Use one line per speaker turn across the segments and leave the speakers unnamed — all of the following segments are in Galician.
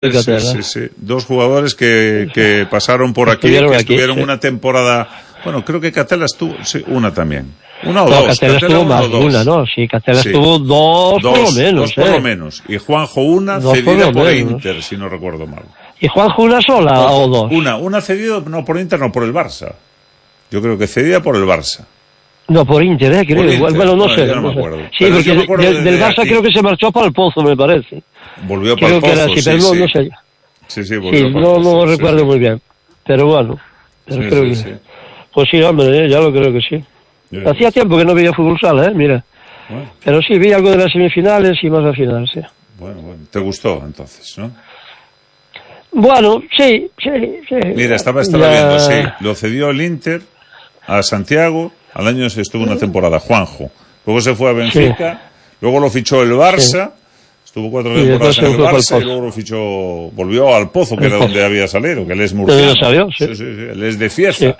Sí. Dos jugadores que pasaron por aquí, que estuvieron una temporada. Bueno, creo que Catela estuvo, sí, una también. Una o
no,
dos.
Catela estuvo más de una, ¿no? Sí, Catela estuvo dos por lo menos.
Dos por lo menos. Y Juanjo una cedida por Inter, si no recuerdo mal.
¿Y Juanjo una sola o dos?
Una cedida, no por Inter, no por el Barça. Yo creo que cedida por el Barça.
No, por Inter, creo.
Por Inter.
Bueno, no sé.
Yo no me acuerdo.
Sí, pero porque del Barça creo que se marchó para el Pozo, me parece.
Volvió para el Pozo,
creo que era así, pero no sé.
Sí, volvió
sí, no recuerdo muy bien. Pero bueno, creo que...
Sí.
Pues sí, hombre, ya lo creo que sí. Hacía tiempo que no veía fútbol sala, mira.
Bueno.
Pero sí, vi algo de las semifinales y más al final, sí.
Bueno. ¿Te gustó, entonces, no?
Bueno, sí.
Mira, estaba viendo, sí. Lo cedió el Inter a Santiago. Al año se estuvo una temporada, Juanjo. Luego se fue a Benfica. Luego lo fichó el Barça. Estuvo 4 temporadas en el Barça y luego lo fichó, volvió al Pozo, que era donde había salido, que él es murciano. Sí, él es de Fiesta. Sí.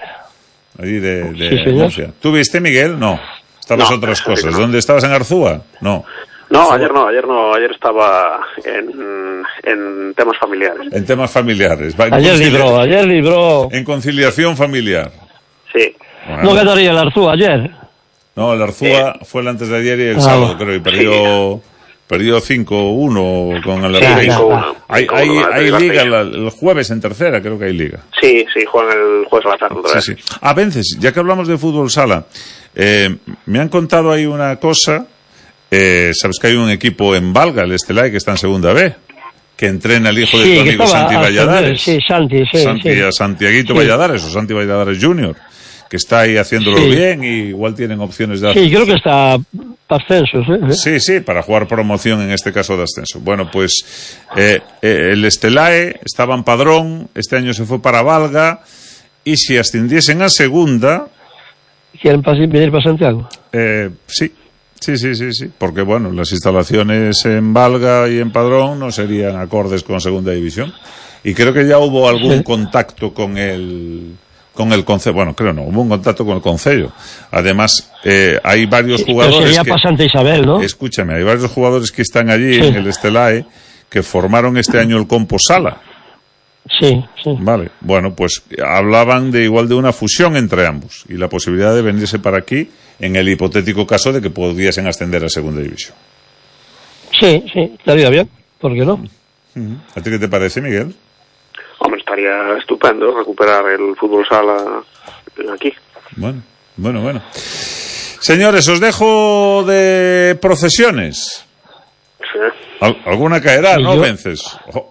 Allí de Murcia. ¿Tú viste, Miguel? No. Estabas otras cosas. ¿Dónde estabas, en Arzúa? No,
ayer estaba en temas familiares.
En temas familiares.
Ayer libró.
En conciliación familiar.
Sí.
Bueno.
¿No ganaría el Arzúa ayer?
No, el Arzúa fue el antes de ayer y el sábado, creo, y perdió 5-1 con el Arzúa. Hay liga el jueves en tercera, creo que hay liga.
Sí, juegan el jueves a la tarde.
Sí. A veces, ya que hablamos de fútbol sala, me han contado ahí una cosa. Sabes que hay un equipo en Valga, el Estelai, que está en segunda B, que entrena el hijo de tu amigo Santi Valladares. Santiaguito Valladares, o Santi Valladares Junior, que está ahí haciéndolo bien y igual tienen opciones de ascenso.
Sí, creo que está para ascenso.
Sí, para jugar promoción, en este caso de ascenso. Bueno, pues el Estelae estaba en Padrón, este año se fue para Valga, y si ascendiesen a segunda...
¿Quieren venir para Santiago?
Sí, porque bueno, las instalaciones en Valga y en Padrón no serían acordes con segunda división. Y creo que ya hubo algún contacto con el concello. Bueno, creo no, hubo un contacto con el concello. Además, hay varios jugadores
sería para Santa Isabel, ¿no?
Escúchame, hay varios jugadores que están allí en el Estelae que formaron este año el Compo Sala.
Sí.
Vale, bueno, pues hablaban de una fusión entre ambos y la posibilidad de venirse para aquí en el hipotético caso de que pudiesen ascender a segunda división. Sí,
estaría bien, ¿por qué no?
¿A ti qué te parece, Miguel?
Hombre, estaría estupendo recuperar el fútbol sala aquí.
Bueno. Señores, os dejo de procesiones.
Sí.
¿Alguna caerá, no, Vences?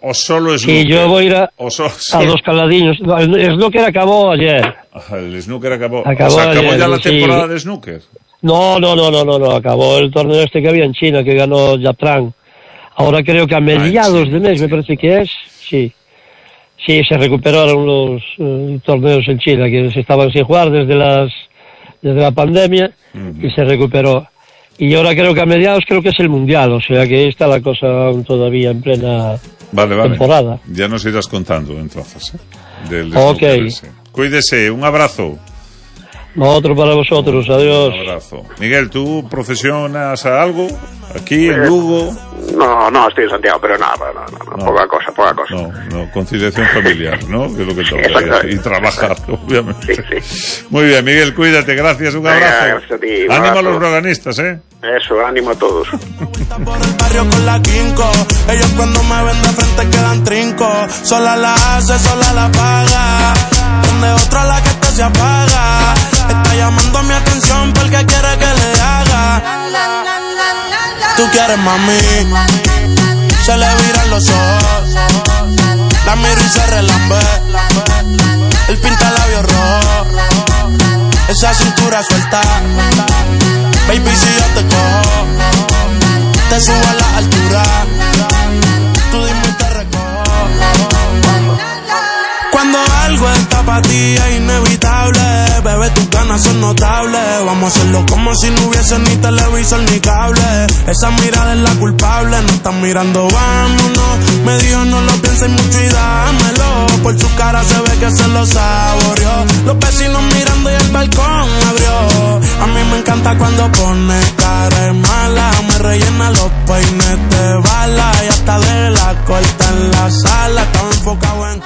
¿O solo es
snooker? Sí, yo voy a ir a dos caladiños. El snooker acabó ayer.
El snooker acabó.
¿Acabó
ayer, ya la temporada de snooker?
No. Acabó el torneo que había en China, que ganó Yaptran. Ahora creo que a mediados de mes, me parece que es. Sí, se recuperaron los torneos en China, que se estaban sin jugar desde la pandemia, y se recuperó. Y ahora creo que a mediados que es el Mundial, o sea que ahí está la cosa todavía en plena temporada.
Ya nos irás contando entonces,
Ok.
Cuídese, un abrazo.
Otro para vosotros, adiós.
Un abrazo. Miguel, ¿tú profesionas a algo? ¿Aquí, en Lugo?
No, estoy en Santiago, pero nada, poca cosa.
No, conciliación familiar, ¿no? Que es lo que toca. Y trabajar, obviamente.
Sí.
Muy bien, Miguel, cuídate, gracias, un abrazo.
Gracias a ti,
ánimo a los broganistas,
Eso, ánimo a todos.
Por el barrio con la quinco, ellos cuando me ven de frente quedan trinco. Sola la hace, sola la paga, donde otra la que se apaga. Está llamando mi atención porque quiere que le haga. Tú quieres, mami, se le viran los ojos, la miro y se relambe, el pinta labios rojo, esa cintura suelta. Baby, si yo te cojo, te subo a la altura, tú dime y te recojo. Cuando algo está para ti es inevitable, bebé, tus ganas son notables. Vamos a hacerlo como si no hubiese ni televisor ni cable. Esa mirada es la culpable, no están mirando, vámonos. Me dijo no lo pienses mucho y dámelo. Por su cara se ve que se lo saboreó. Los vecinos mirando y el balcón abrió. A mí me encanta cuando pone cara de mala. rellena los peines de bala y hasta de la corta en la sala. Estaba enfocado en...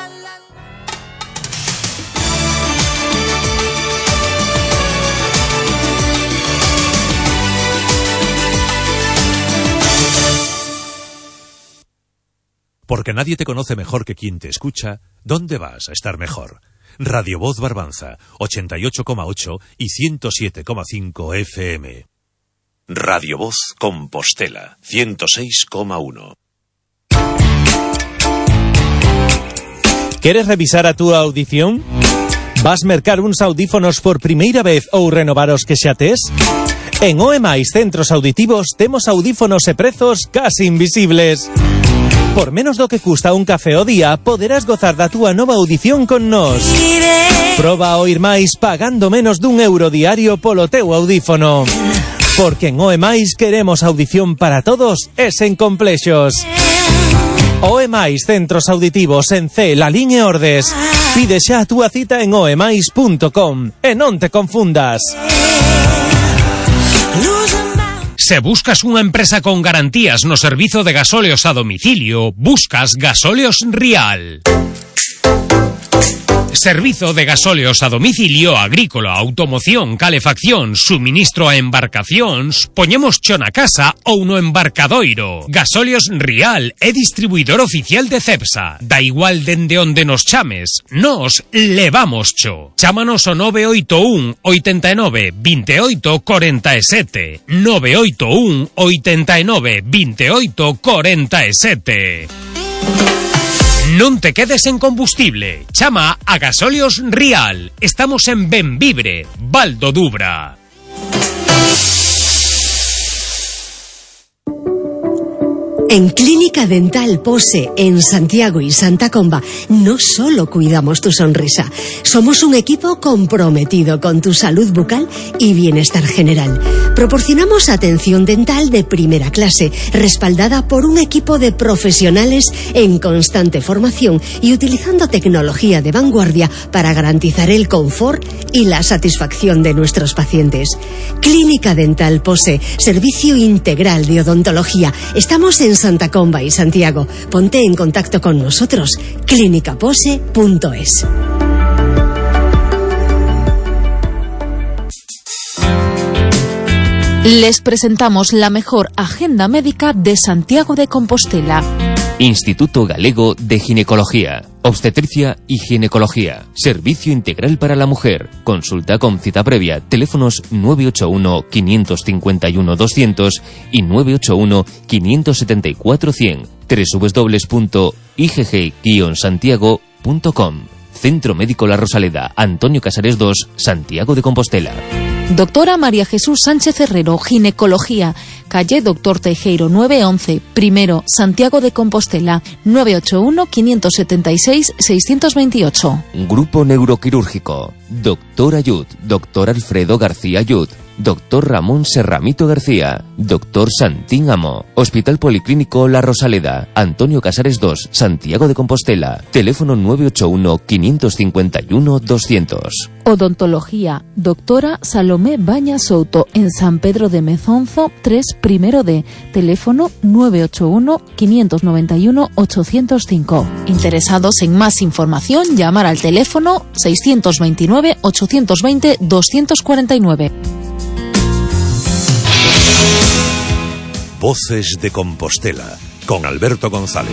Porque nadie te conoce mejor que quien te escucha, ¿dónde vas a estar mejor? Radio Voz Barbanza, 88,8 y 107,5 FM. Radio Voz Compostela, 106,1.
Queres revisar a túa audición? Vas mercar uns audífonos por primeira vez ou renovar os que xa tes? En OEMAIS Centros Auditivos temos audífonos e prezos casi invisibles. Por menos do que custa un café ao día, poderás gozar da túa nova audición con nós. Proba a oír máis pagando menos d'€1 diario polo teu audífono. Porque en OEMAIS queremos audición para todos e sen complexos. OEMAIS Centros Auditivos en C, Lalín e Ordes. Pide xa a túa cita en oemais.com e non te confundas.
Se buscas unha empresa con garantías no servizo de gasóleos a domicilio, buscas Gasóleos Rial. Servizo de gasóleos a domicilio agrícola, automoción, calefacción, suministro a embarcacións, poñemos cho na casa ou no embarcadoiro. Gasóleos Rial é distribuidor oficial de Cepsa. Da igual dende onde nos chames, nos levamos cho. Chámanos ao 981 89 28 47. 981 89 28 47. Non te quedes en combustible. Chama a Gasóleos Rial. Estamos en Benvibre, Val do Dubra.
En Clínica Dental Pose, en Santiago y Santa Comba, no solo cuidamos tu sonrisa, somos un equipo comprometido con tu salud bucal y bienestar general. Proporcionamos atención dental de primera clase, respaldada por un equipo de profesionales en constante formación y utilizando tecnología de vanguardia para garantizar el confort y la satisfacción de nuestros pacientes. Clínica Dental Pose, servicio integral de odontología. Estamos en Santa Comba y Santiago. Ponte en contacto con nosotros. clinicapose.es.
Les presentamos la mejor agenda médica de Santiago de Compostela.
Instituto Galego de Ginecología, Obstetricia y Ginecología. Servicio integral para la mujer. Consulta con cita previa. Teléfonos 981 551 200 y 981 574 100. www.igg-santiago.com. Centro Médico La Rosaleda, Antonio Casares 2, Santiago de Compostela.
Doctora María Jesús Sánchez Herrero, Ginecología, calle Doctor Teijeiro 911, primero, Santiago de Compostela, 981-576-628.
Grupo Neuroquirúrgico, Doctor Ayud, Doctor Alfredo García Ayud, Doctor Ramón Serramito García, Doctor Santín Amo, Hospital Policlínico La Rosaleda, Antonio Casares 2, Santiago de Compostela, teléfono 981-551-200.
Odontología, Doctora Salomé Baña Souto, en San Pedro de Mezonzo 3, primero D, teléfono 981-591-805. Interesados en más información, llamar al teléfono 629-820-249.
Voces de Compostela, con Alberto González.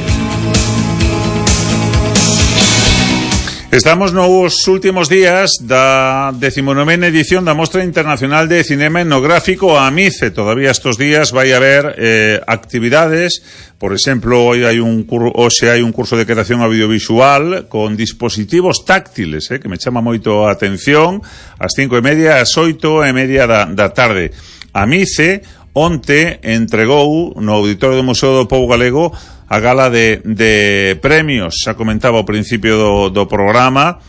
Estamos nos últimos días da 19ª edición da Mostra Internacional de Cinema Etnográfico a Amice. Todavía estos días vai haber actividades. Por exemplo, hoxe hai un curso de creación audiovisual con dispositivos táctiles, que me chama moito a atención, ás 5:30, ás 8:30 da tarde. Amice onte entregou no Auditorio do Museo do Pobo Galego a gala de premios. Xa comentaba ao principio do programa,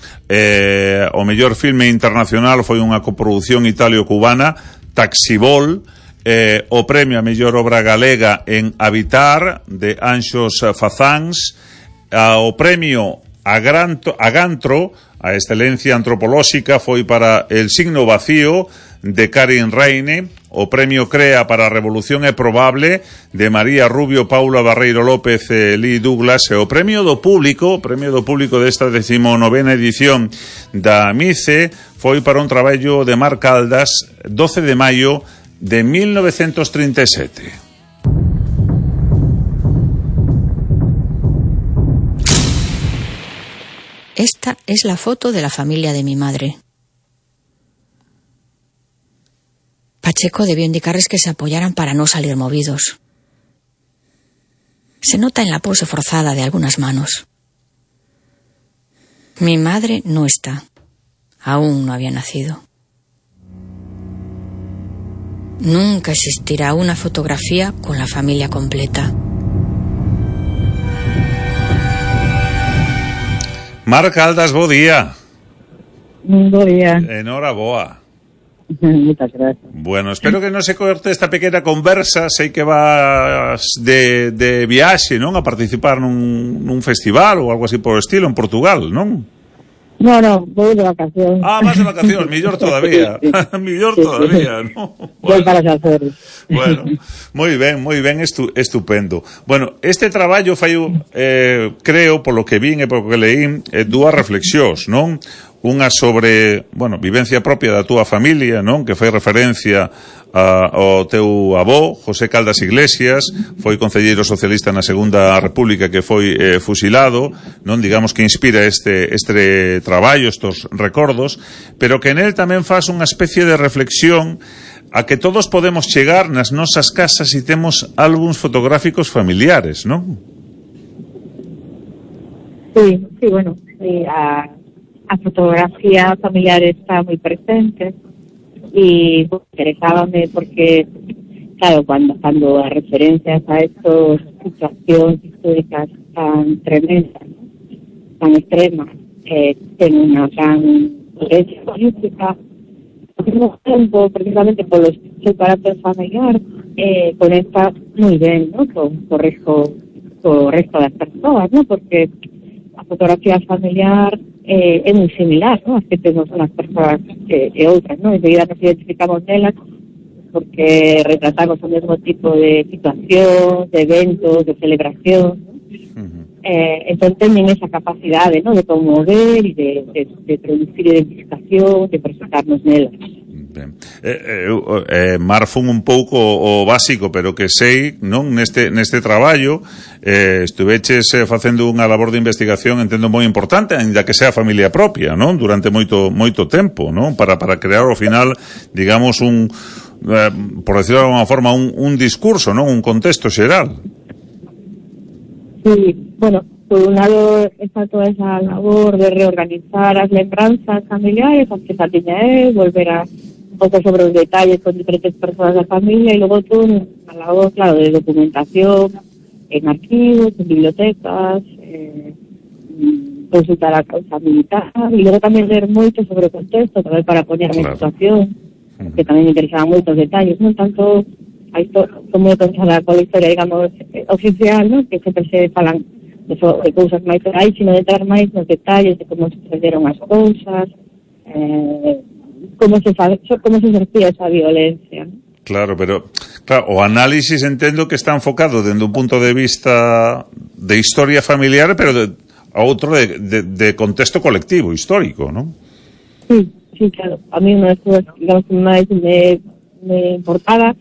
o mellor filme internacional foi unha coproducción italio-cubana, Taxibol. O premio a mellor obra galega en Habitar, de Anxos Fazáns. O premio a Gantro, a excelencia antropolóxica, foi para El signo vacío, de Karin Reine. o Premio CREA para a Revolución é Probable, de María Rubio, Paula Barreiro López e Lee Douglas, e o Premio do Público desta 19ª edición da MICE foi para un traballo de Mar Caldas, 12 de maio de 1937.
Esta es la foto de la familia de mi madre. Pacheco debió indicarles que se apoyaran para no salir movidos. Se nota en la pose forzada de algunas manos. Mi madre no está. Aún no había nacido. Nunca existirá una fotografía con la familia completa.
Mar Caldas, bo día.
Bo día.
Enhoraboa.
Muchas gracias.
Bueno, espero que non se corte esta pequena conversa. Sei que vas de viaxe, non? A participar nun festival ou algo así por o estilo en Portugal, non?
No, voy de vacaciones.
Ah, vas de vacaciones, mellor todavía. Mellor todavía, ¿no?
Voy para Xaceres.
Bueno, moi ben, estupendo. Bueno, este traballo fai, creo, polo que vin e polo que leín, dúas reflexións, non? Unha sobre, vivencia propia da túa familia, non? Que fai referencia ao teu avó, José Caldas Iglesias, foi concelleiro socialista na Segunda República, que foi fusilado, non? Digamos que inspira este traballo, estos recordos, pero que nel tamén faz unha especie de reflexión a que todos podemos chegar nas nosas casas e temos álbuns fotográficos familiares, non?
Sí, a fotografía familiar está moi presente y interesábame porque, claro, cuando as referencias a estas situacións históricas tan tremendas, tan extremas, ten unha gran potencia política, ao mesmo tempo, precisamente polo seu carácter familiar, conecta moi ben, ¿no? con o resto das persoas, ¿no? Porque a fotografía familiar é moi similar, ¿no? As que temos unhas persoas e outras, ¿no? Enseguida nos identificamos nelas porque retratamos o mesmo tipo de situación, de eventos, de celebración, ¿no? Entón teñen esa capacidade, ¿no? De conmover e de producir identificación, de presentarnos nelas.
Ben. Mar fun un pouco o básico, pero que sei, non, neste traballo estuveches facendo unha labor de investigación, entendo, moi importante, ainda que sea familia propia, non? Durante moito tempo, non? Para crear ao final, digamos, por decirlo de alguna forma, un discurso, non? Un contexto xeral.
Sí, por un lado está toda esa labor de reorganizar as lembranzas familiares, as que xa tiña volver a un pouco sobre os detalles con diferentes persoas da familia, e logo todo a labor, claro, de documentación en arquivos, en bibliotecas, consultar a causa militar, e logo tamén ler moito sobre o contexto, tamén para poñerme en situación, que tamén me interesaban moitos detalles, non tanto como pensada con a historia, digamos, oficial, non? Que sempre se falan de cousas máis reais, sino de entrar máis nos detalles de como sucederon as cousas, como se exercía esa violencia, ¿no?
Claro, pero o análisis entendo que está enfocado dende un punto de vista de historia familiar, pero a outro de contexto colectivo, histórico, ¿no?
Sí, claro. A mí unha das cousas, digamos, que máis me importaba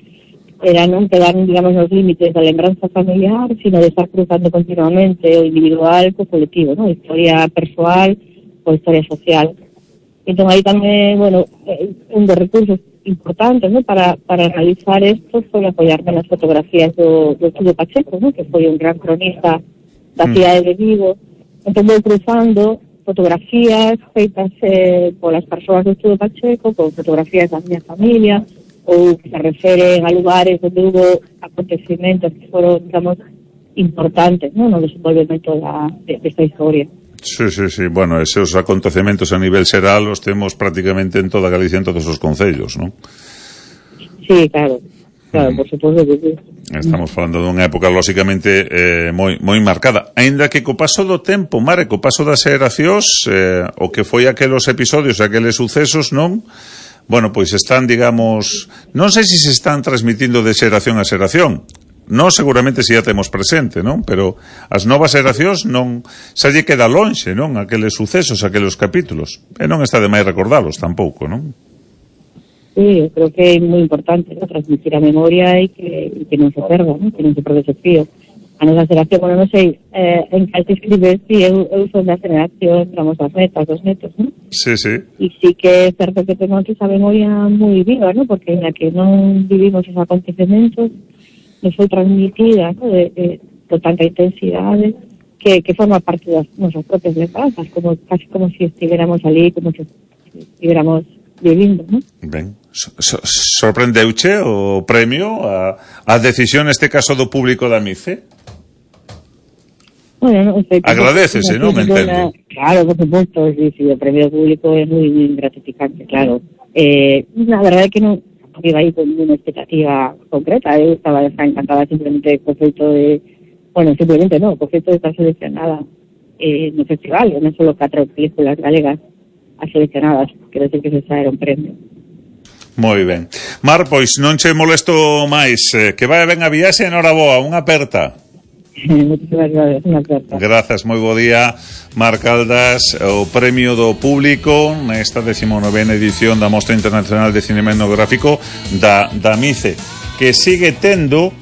era non quedar, digamos, nos límites da lembranza familiar, sino de estar cruzando continuamente o individual co colectivo, ¿no? Historia persoal ou historia social. Entón, aí tamén, un dos recursos importantes, ¿no? para realizar esto foi apoiarme nas fotografías do Estudio Pacheco, ¿no? Que foi un gran cronista da cidade de Vigo. Entón, vou cruzando fotografías feitas polas persoas do Estudio Pacheco con fotografías da miña familia, ou que se referen a lugares onde hubo acontecimentos que foron, digamos, importantes, ¿no? No desenvolvemento desta historia.
Sí. Bueno, esos acontecementos a nivel xeral os temos prácticamente en toda Galicia, en todos os concellos, ¿no?
Sí, claro, por suposto que sí.
Estamos falando dunha época, lóxicamente, moi marcada. Aínda que co paso do tempo, Mare, co paso das xeracións, o que foi aqueles episodios, aqueles sucesos, non? bueno, pois están, digamos, non sei se están transmitindo de xeración a xeración. Non seguramente se ya temos presente, non? Pero as novas xeracións non xa lle queda lonxe, non? Aqueles sucesos, aqueles capítulos. E non está de máis recordalos tampouco, non?
Sí, eu creo que é moi importante, ¿no? Transmitir a memoria e que non se perda, ¿no? Que non se perde ese fío. A nosa xeración, bueno, non sei en que te escribes, sí, eu son da xeración, tramos as netas, os netos, ¿no?
Sí, sí.
E sí que é certo que temos esa memoria moi viva, ¿no? Porque en la que non vivimos esos acontecementos, nos foi transmitida, ¿no? con tanta intensidade que forma parte das nosas propias lembranzas, casi como si estiveramos ali, como si estiveramos vivindo, ¿no?
Ben, sorprendeuche o premio a decisión neste caso do público da MICE?
Bueno, non sei.
Agradecese, non? Me entendo.
Claro, por supuesto, sí, o premio público é moi gratificante, claro. La verdade é que non iba aí con unha expectativa concreta. Eu estaba encantada simplemente co feito de... Bueno, simplemente non, co feito de estar seleccionada no festival, non solo 4 películas galegas as seleccionadas, quero decir que ese era un premio.
Moi ben. Mar, pois non che molesto máis, que vai ben a viaxe, enhoraboa, unha aperta.
Moitísimas gracias, unha aperta.
Grazas, moi bo día, Mar Caldas, o premio do público nesta 19ª edición da Mostra Internacional de Cinema Etnográfico da MICE, que sigue tendo,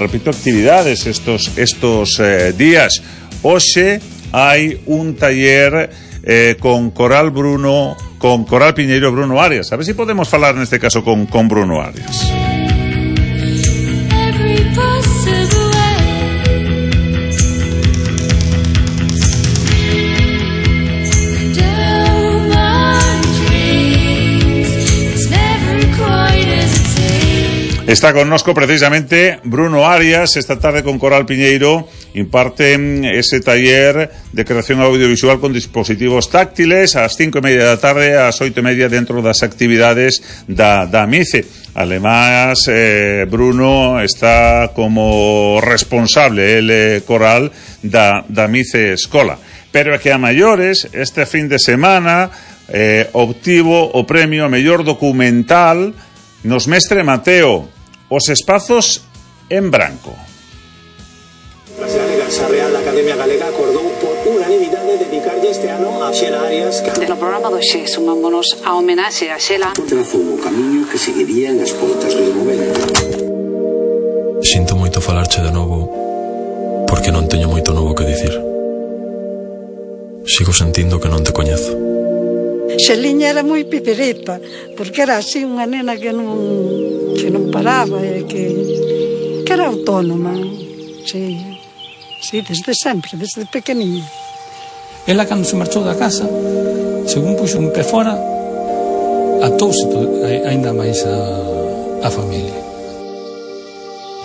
repito, actividades estos días. Hoxe hai un taller con Coral Piñeiro Bruno Arias. A ver se podemos falar neste caso con Bruno Arias. Está connosco precisamente Bruno Arias. Esta tarde con Coral Piñeiro imparten ese taller de creación audiovisual con dispositivos táctiles ás 5:30 da tarde, ás 8:30 dentro das actividades da MICE. Además, Bruno está como responsable, Coral, da MICE Escola. Pero é que a maiores, este fin de semana, obtivo o premio a mellor documental nos Mestre Mateo, Os espazos en branco.
A Real Academia Galega acordou por unanimidade dedicarlle este ano a Xela Arias.
No programa do Xe sumámonos a homenaxe a Xela.
Trazou o camiño que seguirían as portas do momento.
Sinto moito falarche de novo porque non teño moito novo que dicir. Sigo sentindo que non te coñezo.
Xeliña era moi pipereta, porque era así unha nena que non paraba, que era autónoma, sí, desde sempre, desde pequeniña.
Ela, cando se marchou da casa, según puxo un pé fora, atouse ainda máis a familia.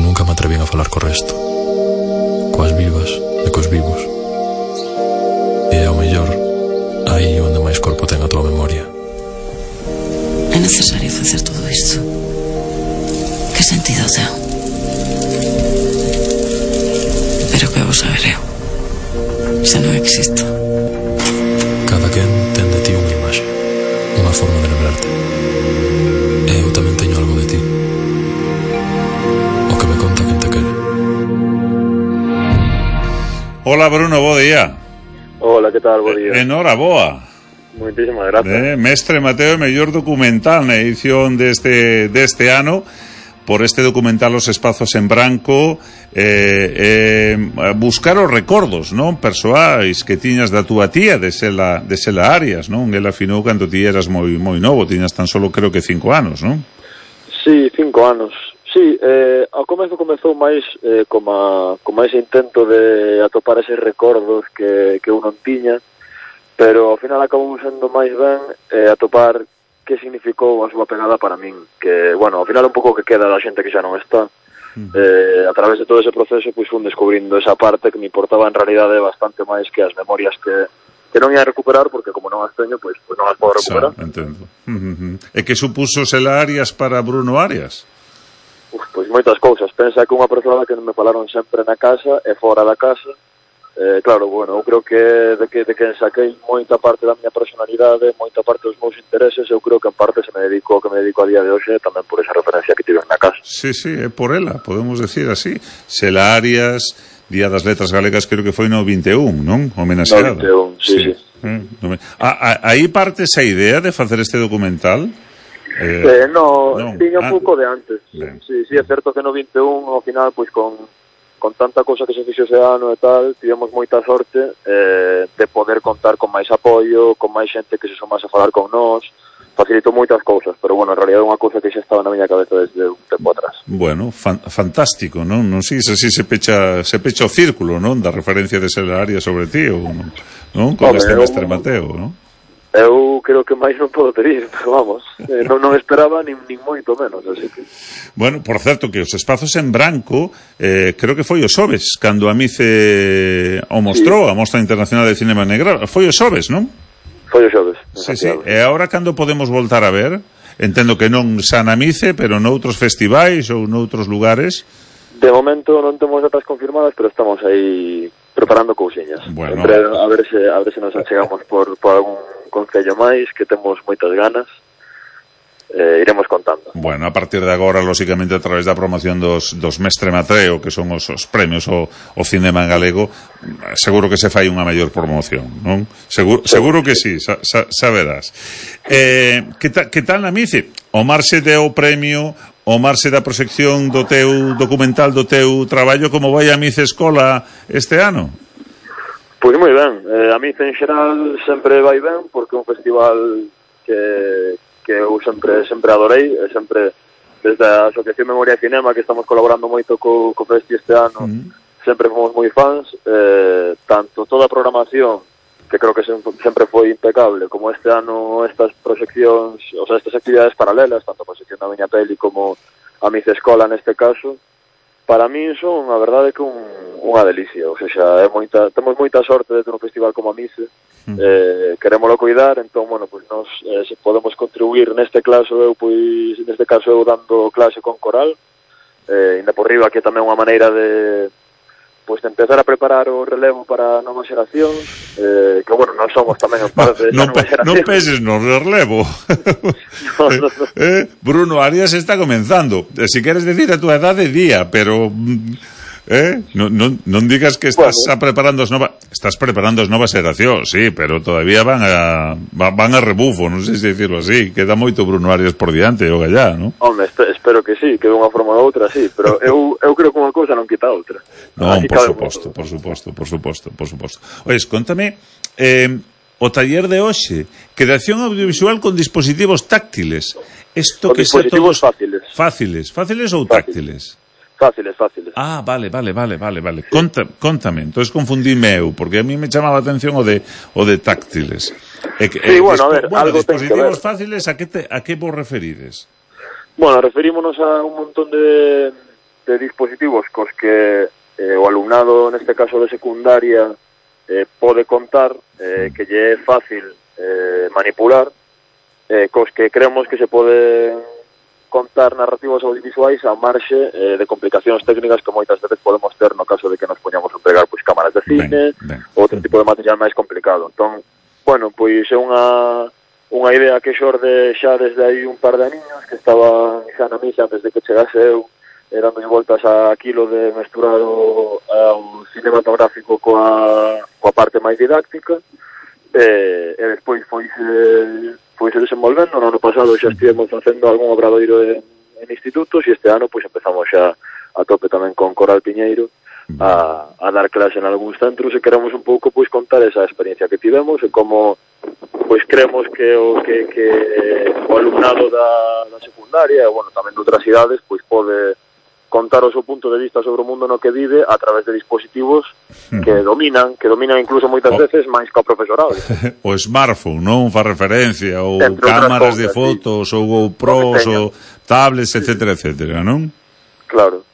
Nunca me atrevín a falar co resto, coas vivas e cos vivos. E ao mellor aí onde máis corpo ten a tua memoria.
É necesario facer todo isto? Que sentido ten? Pero que vou saber eu? Xa non existo.
Cada quen ten de ti unha imaxe, unha forma de lembrarte. E eu tamén teño algo de ti. O que me conta quen te quere.
Hola Bruno, bo día.
Hola, que tal? Bo día.
Enhoraboa.
Moitísimas gracias.
Mestre Mateo, mellor documental na edición deste ano, por este documental Os espazos en branco, buscar os recordos, non, persoais que tiñas da túa tía, de Xela Arias, non? Ela afinou cando ti eras moi novo, tiñas tan solo creo que 5 anos, non?
Sí, 5 anos. Sí, ao comezo comezou máis como ese intento de atopar eses recordos que eu non tiña, pero ao final acabou sendo máis ben atopar que significou a súa pegada para min, que, bueno, ao final un pouco que queda da xente que xa non está. A través de todo ese proceso, pois fun descubrindo esa parte que me importaba en realidade bastante máis que as memorias que non ia recuperar, porque como non as teño, pois non as podo recuperar.
Entendo. E que supuso Xela Arias para Bruno Arias?
Pois moitas cousas. Pensa que unha persoa que me falaron sempre na casa e fora da casa, claro, bueno, eu creo que de que saquei moita parte da miña personalidade, moita parte dos meus intereses, eu creo que en parte se me dedico a día de hoxe tamén por esa referencia que tiven na casa.
Sí, é por ela, podemos decir así. Xela Arias, Día das Letras Galegas, creo que foi no 21, non? Homenaxeada.
No 21, sí.
Aí parte esa idea de facer este documental?
Non, tiña un pouco de antes. Sí, é certo que no 21, ao final, pois con tanta cosa que se fixo ese ano e tal, tivemos moita sorte de poder contar con máis apoio, con máis xente que se sumase a falar con nós, facilitou moitas cousas, pero bueno, en realidad é unha cousa que xa estaba na miña cabeza desde un tempo atrás.
Bueno, fantástico, non? Non sei se así se pecha o círculo, non? Da referencia de Xela Arias sobre ti, ou non? Con este mestre Mateo, non?
Eu creo que máis non podo pedir, pero vamos, non esperaba nin moito menos, así que...
Bueno, por certo, que os espazos en branco, creo que foi o xoves, cando a Mice o mostrou, a Mostra Internacional de Cinema Negral, foi o xoves, non?
Foi o xoves.
Sí. E agora cando podemos voltar a ver? Entendo que non xa na Mice, pero noutros festivais ou noutros lugares.
De momento non temos datas confirmadas, pero estamos aí preparando cousiñas.
Bueno,
a ver se nos achegamos por algún concello máis, que temos moitas ganas. Iremos contando.
Bueno, a partir de agora, lóxicamente, a través da promoción dos Mestre Mateo, que son os premios o cinema en galego, seguro que se fai unha maior promoción, non? Seguro que sí, saberás. Que tal na Mice? O marxe deu premio, o marxe da proxección do teu documental, do teu traballo, como vai a Mice Escola este ano?
Pois moi ben, a Mice en xeral sempre vai ben, porque é un festival que eu sempre adorei, sempre desde a Asociación Memoria e Cinema, que estamos colaborando moito co Festi este ano, sempre fomos moi fans, tanto toda a programación, que creo que sempre foi impecable, como este ano estas proxeccións, o sea, estas actividades paralelas, tanto a proxección da miña peli como a Mice Escola neste caso, para min son, a verdade, que unha delicia, ou seja, temos moita sorte de ter un festival como a Mice, querémolo cuidar, entón, bueno, pues nos se podemos contribuir neste caso eu dando clase con coral, ainda por riba que tamén unha maneira de empezar a preparar o relevo para novas xeracións, que, bueno, non somos tamén en parte de nova xeración.
Non peses no relevo. Bruno Arias está comenzando. Si queres decir a túa edade, día, pero... non digas que estás preparando as novas xeracións, sí, pero todavía van a rebufo, non sei se decirlo así, queda moito Bruno Arias por diante o gallá, non?
Home, espero que sí, que de unha forma ou outra, sí, pero eu creo que unha cousa non quita a outra.
Non, por suposto. Ois, contame, o taller de hoxe, creación audiovisual con dispositivos táctiles.
Con dispositivos fáciles.
Fáciles ou táctiles?
Fáciles.
Ah, vale. Contame, entonces confundíme eu, porque a mí me chamaba a atención o de táctiles.
Sí, bueno, a ver, algo
dispositivos fáciles, a que vos referides?
Bueno, referímonos a un montón de dispositivos cos que o alumnado, neste caso de secundaria, pode contar, que lle é fácil manipular, cos que creemos que se pode contar narrativas audiovisuais a marxe de complicacións técnicas que moitas veces podemos ter no caso de que nos poñamos a empregar cámaras de cine ou outro tipo de material máis complicado. Entón, bueno, pois é unha idea que xorde xa desde aí un par de aninhos, que estaba xa na misa antes de que chegase eu, dando voltas a aquilo de mesturar o cinematográfico coa parte máis didáctica, e despois foi desenvolvendo. No ano pasado xa estivemos facendo algún obradoiro en institutos, e este ano pois empezamos xa a tope tamén con Coral Piñeiro a dar clase en algúns centros, e queremos un pouco pois contar esa experiencia que tivemos e como pois creemos que o alumnado da secundaria e, bueno, tamén de outras idades pois pode contar o seu punto de vista sobre o mundo no que vive a través de dispositivos que dominan incluso moitas veces máis que o profesorado.
O smartphone, non? Fa referencia, ou cámaras de fotos, ou GoPros, ou tablets, etcétera, non?
Claro.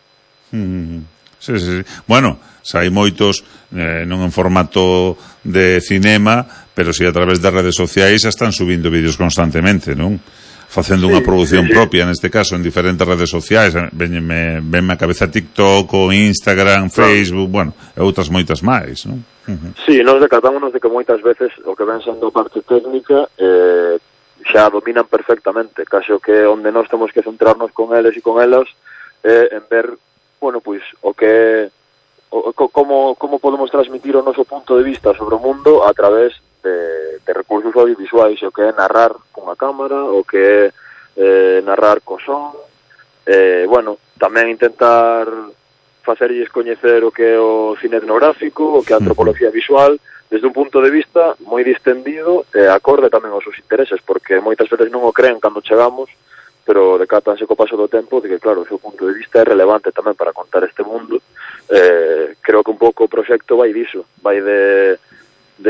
Sí. Bueno, hai moitos, non en formato de cinema, pero si a través das redes sociais están subindo vídeos constantemente, non? facendo unha produción propia, neste caso, en diferentes redes sociais. Venme a cabeza TikTok, o Instagram, Facebook, bueno, e outras moitas máis, non?
Sí, nos decatámonos de que moitas veces o que ven sendo parte técnica xa dominan perfectamente, caso que onde nós temos que centrarnos con eles e con elas en ver, bueno, pois, como podemos transmitir o noso punto de vista sobre o mundo a través de recursos audiovisuais, o que é narrar cunha cámara, o que é narrar co son, bueno, tamén intentar facerlles coñecer o que é o cine etnográfico, o que é a antropología visual, desde un punto de vista moi distendido e acorde tamén aos seus intereses, porque moitas veces non o creen cando chegamos, pero decátanse co paso do tempo de que, claro, o seu punto de vista é relevante tamén para contar este mundo. Creo que un pouco o proxecto vai diso, vai de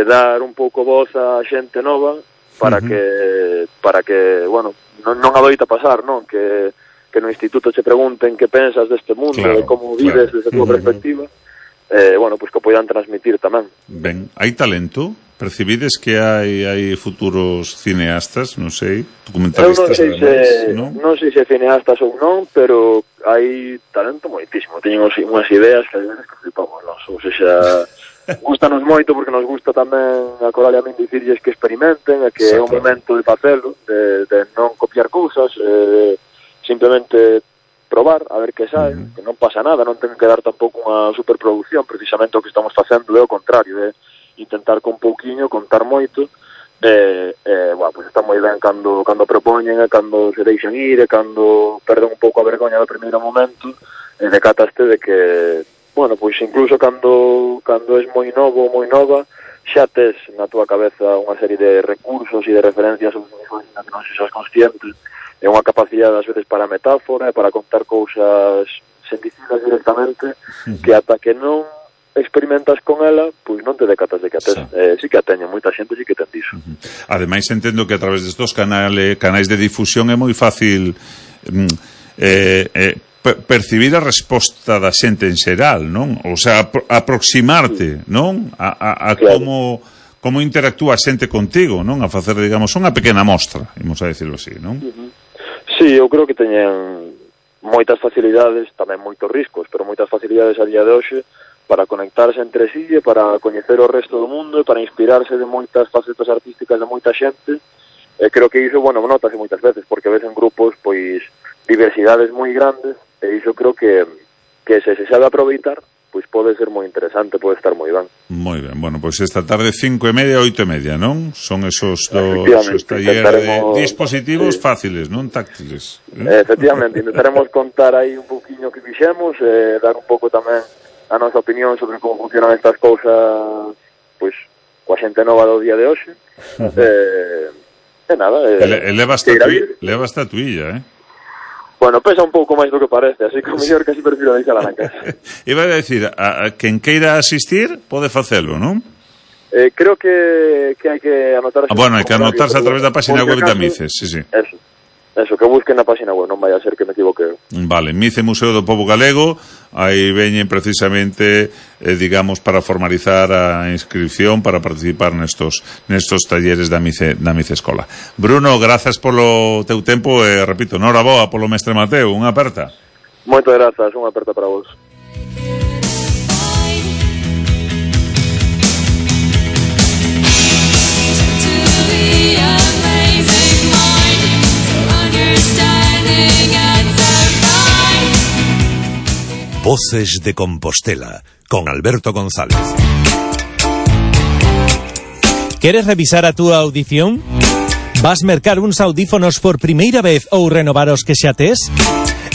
dar un pouco voz a xente nova para que bueno, non adoita pasar, non? Que no instituto che pregunten que pensas deste mundo, de como vives desde a tua perspectiva, bueno, pois que poidan transmitir tamén.
Ben, hai talento? Percibides que hai futuros cineastas, non sei, documentalistas?
Non sei se cineastas ou non, pero hai talento moitísimo. Teñen unhas ideas que a veces que flipamos, non? Ou seja, gustanos moito porque nos gusta tamén a Coral e a min dicirlles que experimenten e que é un momento de facelo, de non copiar cousas, simplemente probar, a ver que sae, que non pasa nada, non ten que dar tampouco unha superproducción, precisamente o que estamos facendo é o contrario, intentar con pouquiño, contar moito, bueno, pues está moi ben cando propoñen, e cando se deixan ir, e cando perden un pouco a vergoña do primeiro momento, e decataste de que, bueno, pois incluso cando és moi novo ou moi nova, xa tes na túa cabeza unha serie de recursos e de referencias audiovisuais na que non se sos consciente, é unha capacidade ás veces para metáfora, para contar cousas sen dicilas directamente, que ata que non experimentas con ela, pois non te decatas de que a tes. Sí que a teño, moita xente sí que ten diso.
Ademais, entendo que a través destos canais de difusión é moi fácil percibir a resposta da xente en xeral, non? O sea, aproximarte, non? A como interactúa a xente contigo, non? A facer, digamos, unha pequena mostra, imos a decirlo así, non?
Sí, eu creo que teñen moitas facilidades, tamén moitos riscos, pero moitas facilidades a día de hoxe para conectarse entre sí e para coñecer o resto do mundo e para inspirarse de moitas facetas artísticas de moita xente. Creo que iso, bueno, notase moitas veces, porque ves en grupos, pois, diversidades moi grandes, e iso creo que se sabe aproveitar, pois pode ser moi interesante, pode estar moi ben.
Moi ben, bueno, pois esta tarde 5:30 e 8:30, non? Son esos talleres de dispositivos fáciles, non táctiles.
Efectivamente, intentaremos contar aí un pouquiño que fixemos, dar un pouco tamén a nosa opinión sobre como funcionan estas cousas, pois, coa xente nova do día de hoxe. E nada,
leva a tuilla,
Bueno, pesa un pouco máis do que parece, así que o mellor casi prefiro deixala na casa.
Iba a decir, a quen queira asistir pode facelo, non?
Creo que hai que anotarse.
Bueno, hai que anotarse a través da página web da Mices, sí.
Eso, que busquen na página web, non vai a ser que me equivoque.
Vale, Mice Museo do Pobo Galego, aí veñen precisamente, digamos, para formalizar a inscripción para participar nestos talleres da Mice Escola. Bruno, grazas polo teu tempo e, repito, noraboa polo mestre Mateo, unha aperta.
Moitas grazas, unha aperta para vos.
Voces de Compostela, con Alberto González.
¿Quieres revisar a túa audición? Vas mercar uns audífonos por primeira vez ou renovar os que xa tes?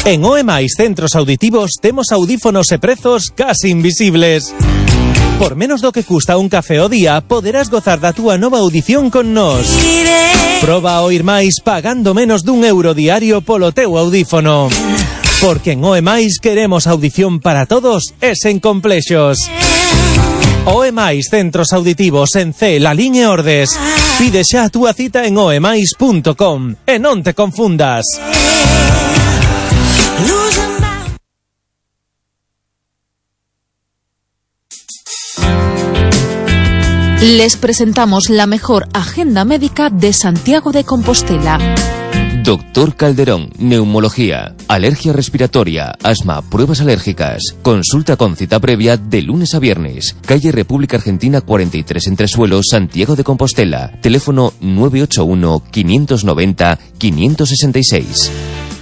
En OEMAIS Centros Auditivos temos audífonos e prezos casi invisibles. Por menos do que custa un café ao día, poderás gozar da túa nova audición con nós. Proba a oír máis pagando menos d'1 € diario polo teu audífono. Porque en OEMAIS queremos audición para todos e sen complexos. OEMAIS Centros Auditivos en C, Lalín e Ordes. Pide xa a túa cita en oemais.com e non te confundas.
Les presentamos la mejor agenda médica de Santiago de Compostela.
Doctor Calderón, neumología, alergia respiratoria, asma, pruebas alérgicas. Consulta con cita previa de lunes a viernes. Calle República Argentina 43 Entresuelos, Santiago de Compostela. Teléfono 981 590 566.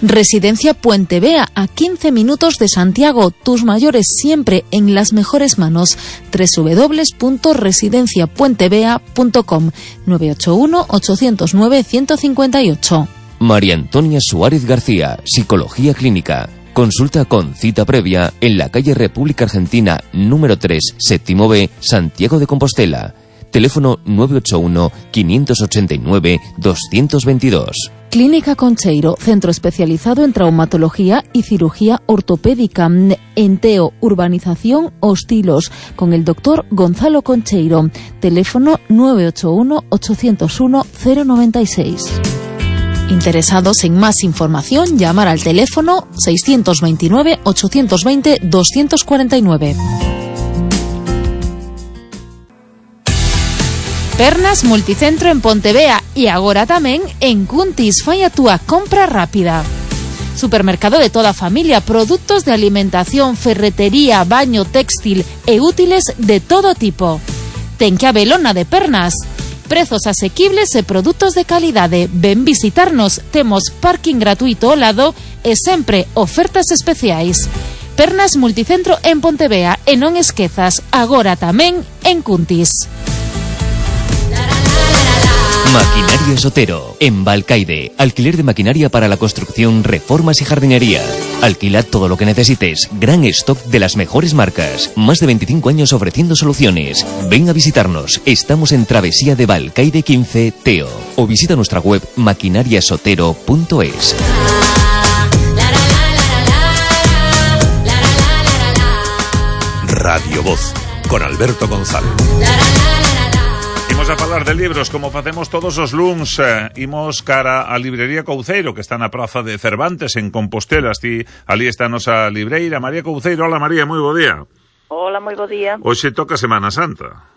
Residencia Puente Vea, a 15 minutos de Santiago. Tus mayores siempre en las mejores manos. www.residenciapuentevea.com 981 809 158.
María Antonia Suárez García, Psicología Clínica. Consulta con cita previa en la calle República Argentina número 3, séptimo B, Santiago de Compostela. Teléfono 981 589 222.
Clínica Concheiro, centro especializado en traumatología y cirugía ortopédica. Enteo, urbanización Hostilos, con el doctor Gonzalo Concheiro. Teléfono 981 801 096. Interesados en más información, llamar al teléfono 629 820 249. Pernas Multicentro en Pontevea e agora tamén en Cuntis. Fai a túa compra rápida. Supermercado de toda a familia, produtos de alimentación, ferretería, baño, textil e útiles de todo tipo. Ten que habelona de Pernas. Prezos asequibles e produtos de calidade. Ven visitarnos, temos parking gratuito ao lado e sempre ofertas especiais. Pernas Multicentro en Pontevea e non esquezas, agora tamén en Cuntis.
Maquinaria Sotero, en Balcaide. Alquiler de maquinaria para la construcción, reformas y jardinería. Alquila todo lo que necesites. Gran stock de las mejores marcas. Más de 25 años ofreciendo soluciones. Ven a visitarnos. Estamos en Travesía de Balcaide 15, Teo. O visita nuestra web maquinariasotero.es.
Radio Voz, con Alberto González. Imos a falar de libros como facemos todos os luns. Imos cara a librería Couceiro, que está na praza de Cervantes en Compostela. Ali está a nosa libreira María Couceiro. Hola María, moi bo día.
Hola, moi bo día.
Hoxe toca Semana Santa.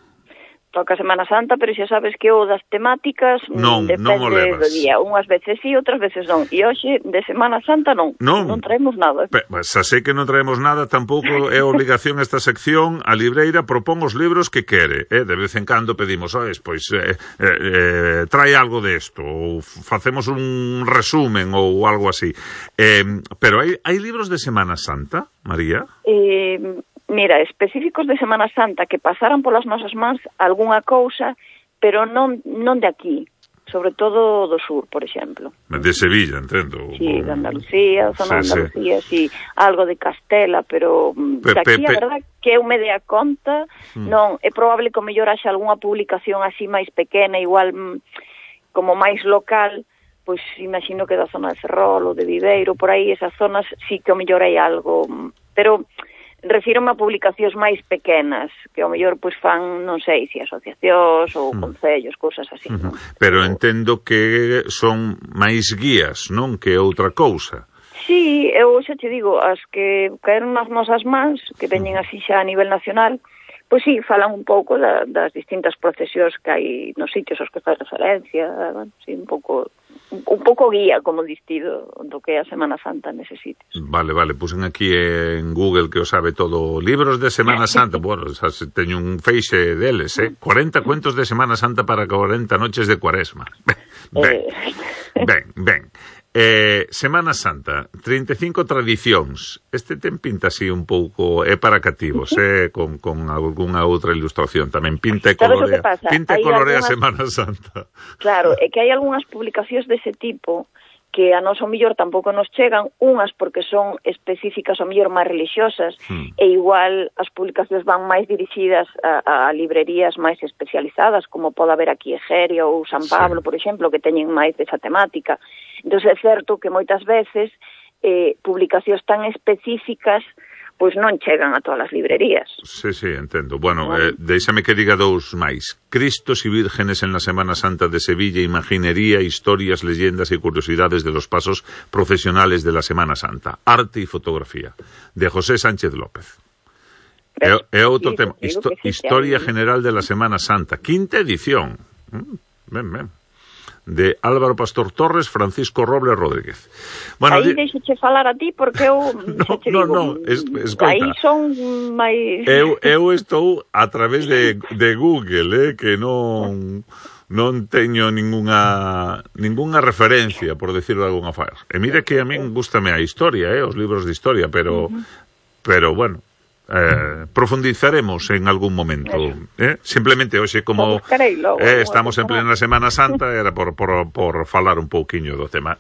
Toca Semana Santa, pero xa sabes que o das temáticas depende do día. Unhas veces sí, outras veces non. E hoxe de Semana Santa non traemos nada.
Xa sei que non traemos nada, tampouco é obligación esta sección. A libreira propón os libros que quere. De vez en cando pedimos, trae algo desto, ou facemos un resumen ou algo así. Pero hai libros de Semana Santa, María?
Mira, específicos de Semana Santa que pasaran polas nosas mans algunha cousa, pero non de aquí, sobre todo do sur, por exemplo.
De Sevilla, entendo.
Sí, de Andalucía, zona de Andalucía, sí, algo de Castela, pero de aquí, a verdad, que eu me dea conta, non, é probable que o mellor haxa algunha publicación así máis pequena, igual como máis local, pois imagino que da zona de Ferrol ou de Viveiro, por aí, esas zonas sí que o mellor hai algo, pero refírome a publicacións máis pequenas, que ao mellor pois fan, non sei, se asociacións ou concellos, cousas así.
Pero entendo que son máis guías, non? Que outra cousa.
Sí, eu xa te digo, as que caeron nas nosas mans, que veñen así xa a nivel nacional, pois sí, falan un pouco das distintas procesións que hai nos sitios aos que faz referencia, sí, un pouco guía, como distido, do que é a Semana Santa neses sitios.
Vale, pusen aquí en Google que o sabe todo. Libros de Semana Santa, bueno, teño un feixe deles, 40 cuentos de Semana Santa para 40 noches de Cuaresma. Ben. Semana Santa, 35 tradicións. Este ten pinta así un pouco, é para cativos, con algunha outra ilustración tamén. Pinta e colorea Semana Santa.
Claro, é que hai algunhas publicacións dese tipo que a nós o mellor tampouco nos chegan, unhas porque son específicas o mellor máis religiosas, e igual as publicacións van máis dirixidas a librerías máis especializadas, como pode haber aquí Egeria ou San Pablo, por exemplo, que teñen máis desa temática. Entón é certo que moitas veces publicacións tan específicas pois non chegan a todas as librerías.
Sí, entendo. Bueno, déixame que diga dous máis. Cristos y vírgenes en la Semana Santa de Sevilla, imaginería, historias, leyendas y curiosidades de los pasos procesionales de la Semana Santa. Arte y fotografía, de José Sánchez López. É outro tema. Historia general de la Semana Santa. Quinta edición. Ben.
de Álvaro Pastor Torres, Francisco Robles Rodríguez. Bueno,
aí deixoche falar a ti porque eu
escoita,
aí son máis
eu estou a través de Google, que non teño ningunha referencia, por decirlo de alguna forma. E mire que a min gústame a historia, os libros de historia, pero bueno, profundizaremos en algún momento. Simplemente hoxe, como estamos en plena Semana Santa, era por falar un pouquiño do tema.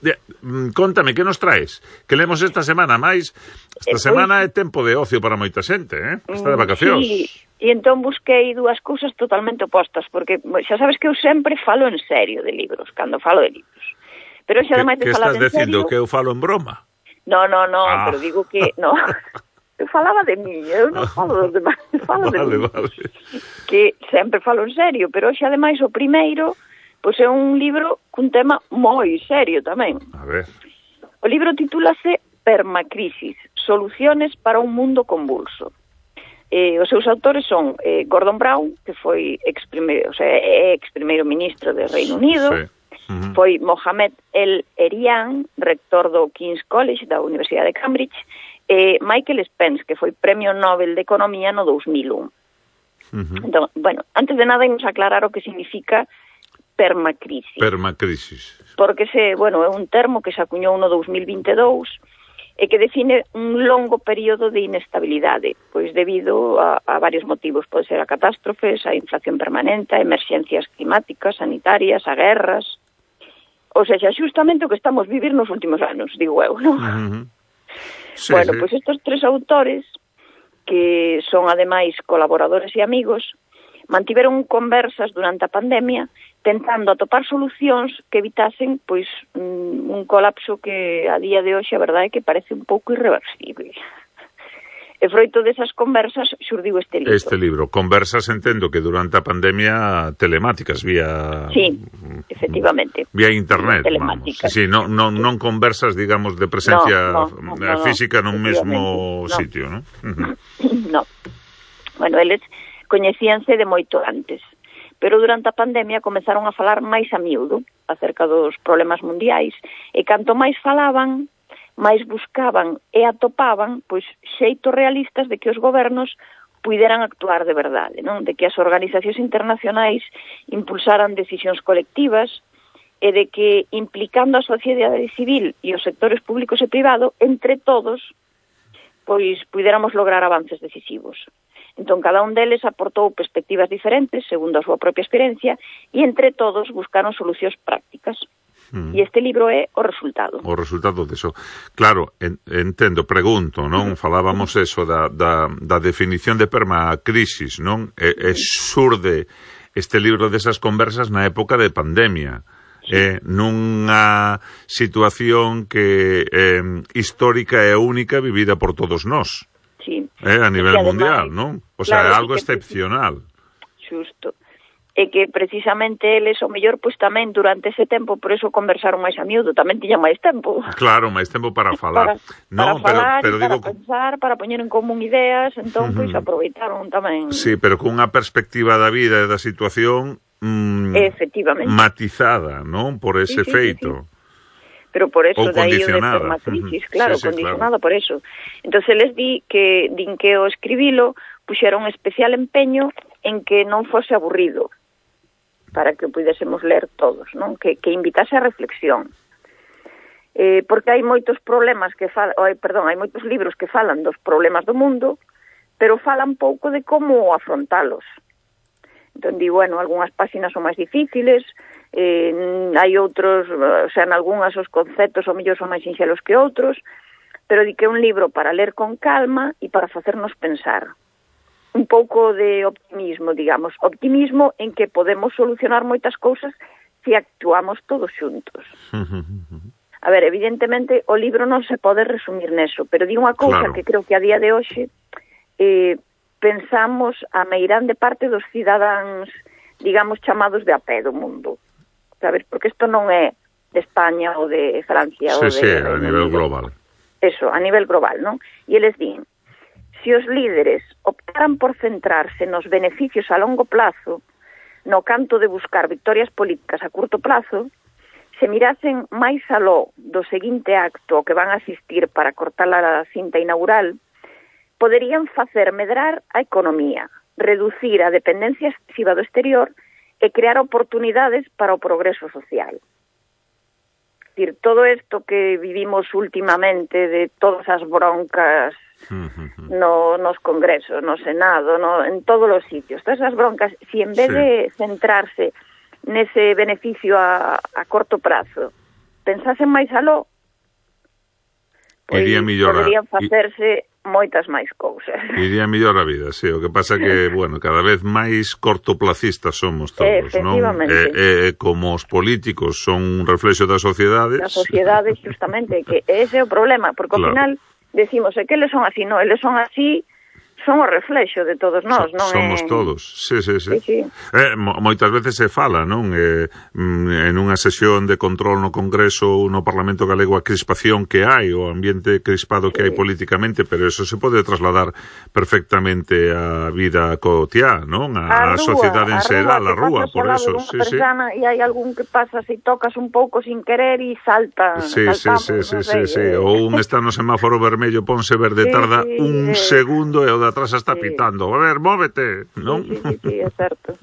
Contame, que nos traes? Que lemos esta semana máis? Esta semana é tempo de ocio para moita xente, está de vacacións.
Sí, e entón busquei dúas cousas totalmente opostas, porque xa sabes que eu sempre falo en serio de libros, cando falo de libros. Pero xa ademais de falar en serio... Que
estás dicindo, que eu falo en broma?
No, pero digo que... No. Eu falaba de mí, eu non falo dos demais, falo de mí. Vale. Que sempre falo en serio, pero hoxe, ademais, o primeiro, pois é un libro cun tema moi serio tamén.
A ver.
O libro titúlase Permacrisis, soluciones para un mundo convulso. Os seus autores son Gordon Brown, que foi ex-primeiro ministro de Reino Unido, foi Mohamed El-Erian, rector do King's College da Universidade de Cambridge, Michael Spence, que foi Premio Nobel de Economía no 2001. Entón, bueno, antes de nada imos aclarar o que significa permacrisis.
Permacrisis.
Porque é un termo que se acuñou no 2022 e que define un longo período de inestabilidade, pois debido a varios motivos. Pode ser a catástrofes, a inflación permanente, a emerxencias climáticas, sanitarias, a guerras. Ou seja, xustamente o que estamos vivir nos últimos anos, digo eu, non? Sí, pois estes tres autores, que son ademais colaboradores e amigos, mantiveron conversas durante a pandemia tentando atopar solucións que evitasen pois un colapso que a día de hoxe a verdade é que parece un pouco irreversible. E froito desas conversas xurdiu este libro.
Este libro, conversas, entendo que durante a pandemia telemáticas vía...
Sí, efectivamente.
Vía internet, telemáticas. Sí, non conversas, digamos, de presencia física nun mesmo sitio, non?
No. Bueno, eles coñecíanse de moito antes, pero durante a pandemia comezaron a falar máis a miúdo acerca dos problemas mundiais, e canto máis falaban, máis buscaban e atopaban pois xeitos realistas de que os gobernos puideran actuar de verdade, non? De que as organizacións internacionais impulsaran decisións colectivas e de que, implicando a sociedade civil e os sectores públicos e privado, entre todos, pois puidéramos lograr avances decisivos. Entón, cada un deles aportou perspectivas diferentes, segundo a súa propia experiencia, e entre todos buscaron solucións prácticas. E este libro é o resultado.
O resultado deso. Claro, entendo, pregunto, non? Falábamos eso da definición de permacrisis, non? E xurde este libro desas conversas na época de pandemia. Nunha situación que histórica e única vivida por todos nós.
Sí.
A nivel mundial, non? O sea, é algo excepcional.
Xusto. E que precisamente eles, o mellor, pois tamén durante ese tempo, por eso conversaron máis a miúdo, tamén tiñan máis tempo.
Claro, máis tempo para falar.
Para falar, pero digo, para pensar, para poñer en común ideas, entón, pois aproveitaron tamén.
Sí, pero cunha perspectiva da vida e da situación
efectivamente
matizada, non? Por ese feito.
Sí. Pero por eso, de aí o de permacrisis, claro, condicionada por eso. Entón, les din que o escribilo puxeron especial empeño en que non fose aburrido, para que o pudésemos ler todos, non? Que invitase a reflexión. Porque hai moitos problemas hai moitos libros que falan dos problemas do mundo, pero falan pouco de como afrontalos. Entón, digo, algunhas páxinas son máis difíciles, hai outros, en algunhas os conceptos ou mellor son máis sinxelos que outros, pero di que é un libro para ler con calma e para facernos pensar. Un pouco de optimismo, digamos. Optimismo en que podemos solucionar moitas cousas se actuamos todos xuntos. A ver, evidentemente, o libro non se pode resumir neso, pero di unha cousa que creo que a día de hoxe pensamos a meirande parte dos cidadáns, digamos, chamados de a pé do mundo. Sabes? Porque isto non é de España ou de Francia.
Sí, a nivel global.
Eso, a nivel global, non? E eles din, se os líderes optaran por centrarse nos beneficios a longo plazo, no canto de buscar victorias políticas a curto plazo, se mirasen máis aló do seguinte acto que van a asistir para cortar a cinta inaugural, poderían facer medrar a economía, reducir a dependencia excesiva do exterior e crear oportunidades para o progreso social. Es decir, todo isto que vivimos últimamente de todas as broncas nos congresos, no Senado, en todos os sitios, todas as broncas, si en vez de centrarse nese beneficio a corto prazo, pensasen máis aló, pois poderían facerse moitas máis cousas.
Iría mellor a vida, sí. O que pasa que, bueno, cada vez máis cortoplacistas somos todos, non? Como os políticos son un reflexo das sociedades.
Das sociedades, justamente, que ese é o problema, porque ao final decimos, que eles son así, non, eles son así, son o reflexo de todos nós, non?
Somos todos, sí. Moitas veces se fala, non? En unha sesión de control no Congreso ou no Parlamento Galego a crispación que hai, o ambiente crispado que hai políticamente, pero eso se pode trasladar perfectamente á vida cotiá, non? A sociedade en xeral, a rúa, por eso, sí.
E hai algún que pasa se tocas un pouco sin querer e salta.
Sí. Ou un está no semáforo vermello, ponse verde, tarda un segundo e o atrás está pitando. A ver, móvete, non?
Sí, é certo.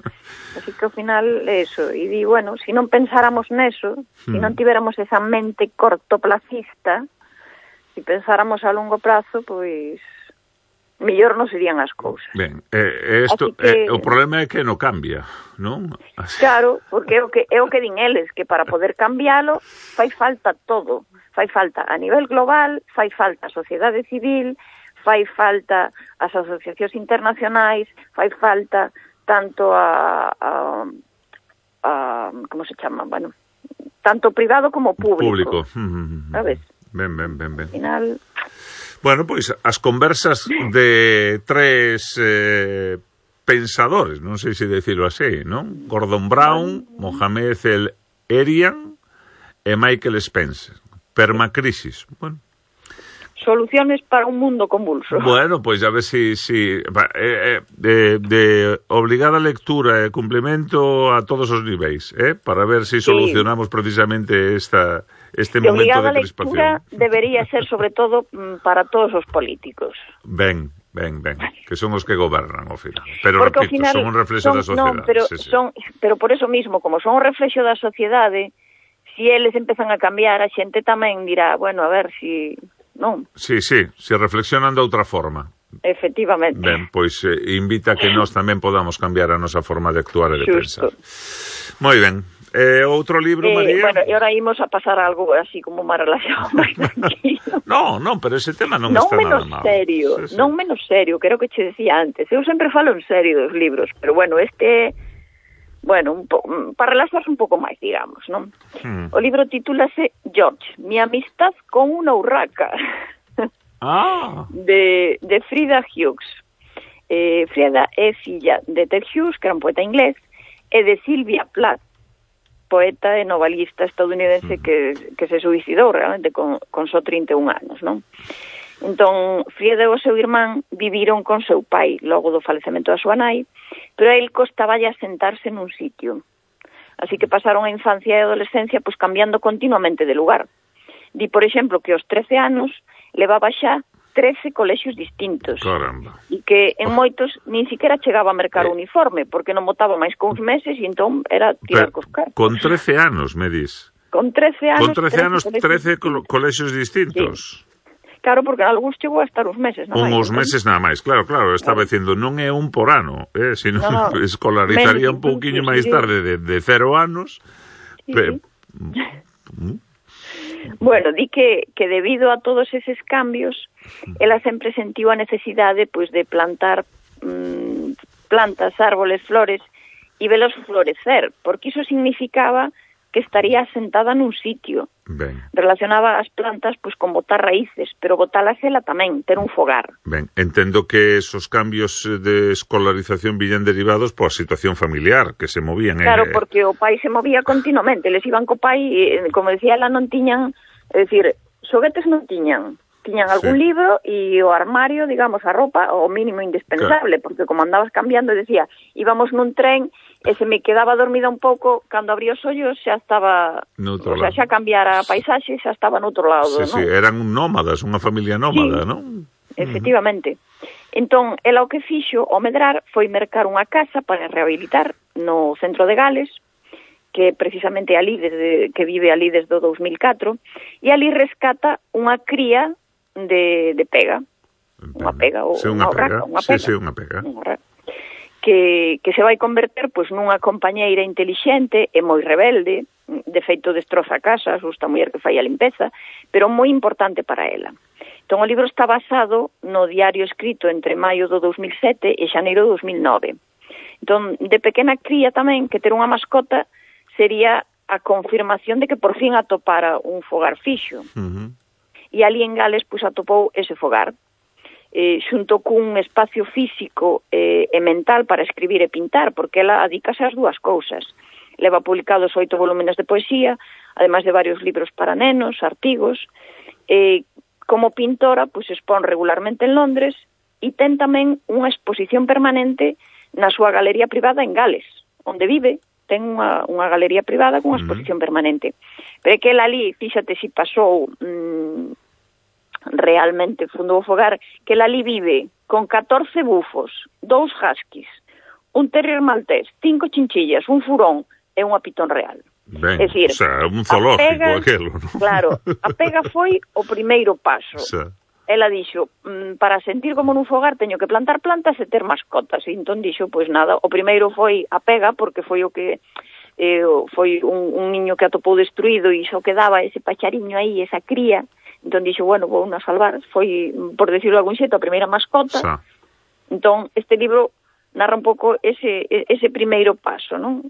Así que ao final, eso. E di, bueno, se non pensáramos neso, se non tiveramos esa mente cortoplacista, se pensáramos a longo prazo, pois mellor non serían as cousas.
Ben, o problema é que non cambia, non?
Claro, porque é o que din eles, que para poder cambialo fai falta todo. Fai falta a nivel global, fai falta a sociedade civil, fai falta as asociacións internacionais, fai falta tanto a como se chama, bueno, tanto privado como público. Sabes?
Ben.
Al final...
Bueno, pois as conversas de tres pensadores, non sei se decirlo así, non? Gordon Brown, Mohamed El-Erian e Michael Spencer. Permacrisis, bueno.
Soluciones para un mundo convulso.
Bueno, pois a ver si de obligada lectura e cumplimento a todos os niveis, para ver si solucionamos precisamente este momento de crispación.
A lectura debería ser sobre todo para todos os políticos.
Ben, que son os que gobernan ao final. Pero porque repito, son un reflexo da sociedade.
No, pero por eso mismo, como son un reflexo da sociedade, si eles empezan a cambiar, a xente tamén dirá, bueno, a ver si... non?
Sí, se reflexionan de outra forma.
Efectivamente.
Ben, pois invita a que nós tamén podamos cambiar a nosa forma de actuar e de pensar. Moi ben. Outro libro, María?
Bueno, e ahora imos a pasar a algo así como máis relaxado, máis tranquilo.
Non, pero ese tema non está nada mal.
Non menos serio, creo que che decía antes. Eu sempre falo en serio dos libros, pero bueno, bueno, para relaxarse un pouco máis, digamos, non? O libro titúlase George, mi amistad con una urraca, de Frida Hughes. Frida é filla de Ted Hughes, que era un poeta inglés, e de Sylvia Plath, poeta e novelista estadounidense que se suicidou realmente con só 31 anos, non? Entón, Frida e o seu irmán viviron con seu pai logo do falecemento da súa nai, pero a él costaballe asentarse nun sitio. Así que pasaron a infancia e a adolescencia pois cambiando continuamente de lugar. Di, por exemplo, que aos 13 anos levaba xa 13 colexios distintos.
Caramba.
E que en moitos nin siquiera chegaba a mercar uniforme, porque non botaba máis que uns meses e entón era tirar cos cartos.
Con 13 anos, me dis?
Con 13 anos,
13 colexios distintos.
Sí. Claro, porque algúns chegou a estar uns meses nada máis.
Uns meses nada máis, claro, estaba dicindo, non é un por ano, sino escolarizaría un pouquiño máis tarde de 0 anos.
Bueno, di que debido a todos eses cambios, ela sempre sentiu a necesidade pois de plantar plantas, árboles, flores e velos florecer, porque iso significaba que estaría asentada nun sitio.
Ben.
Relacionaba as plantas pois con botar raíces, pero botalas ela tamén, ter un fogar.
Ben, entendo que esos cambios de escolarización viñan derivados pola situación familiar, que se movían.
Claro, porque o pai se movía continuamente, les iban co pai, e, como decía ela, non tiñan, é dicir, xoguetes non tiñan, tiñan algún libro e o armario, digamos, a roupa, o mínimo indispensable, porque como andabas cambiando, decía, íbamos nun tren e se me quedaba dormida un pouco, cando abría os ollos xa estaba, o sea, xa cambiara a paisaxe, xa estaba noutro lado,
Sí, eran nómadas, unha familia nómada, non?
Efectivamente. Entón, ela o que fixo ao medrar foi mercar unha casa para rehabilitar no centro de Gales, que precisamente ali que vive ali desde o 2004, e ali rescata unha cría de pega. Unha pega, ou unha urraca, unha pega.
Sí, unha pega.
Que se vai converter pois nunha compañeira intelixente e moi rebelde, de feito destroza a casa, asusta a muller que fai a limpeza, pero moi importante para ela. Entón, o libro está basado no diario escrito entre maio do 2007 e xaneiro do 2009. Entón, de pequena cría tamén que ter unha mascota sería a confirmación de que por fin atopara un fogar fixo. E ali en Gales, pois, atopou ese fogar, xunto cun espacio físico e mental para escribir e pintar, porque ela adícase ás dúas cousas. Leva publicados 8 volúmenes de poesía, ademais de varios libros para nenos, artigos. Como pintora, pois, expón regularmente en Londres e ten tamén unha exposición permanente na súa galería privada en Gales, onde vive. Ten unha galería privada con unha exposición permanente. Pero é que ela ali, fíxate si pasou realmente fundo o fogar, que ela ali vive con 14 bufos, 2 huskies, un terrier maltés, 5 chinchillas, un furón e unha pitón real.
Ben, é dicir, o sea, un zoológico aquelo, ¿no?
Claro, a pega foi o primeiro paso.
O sea,
ela dixo, para sentir como nun fogar teño que plantar plantas e ter mascotas. E entón dixo, pois nada, o primeiro foi a pega, porque foi o que foi un niño que atopou destruído e só quedaba ese pachariño aí, esa cría. Entón dixo, bueno, vou a salvar. Foi, por decirlo de algún xeito, a primeira mascota. Entón, este libro narra un pouco ese primeiro paso, non?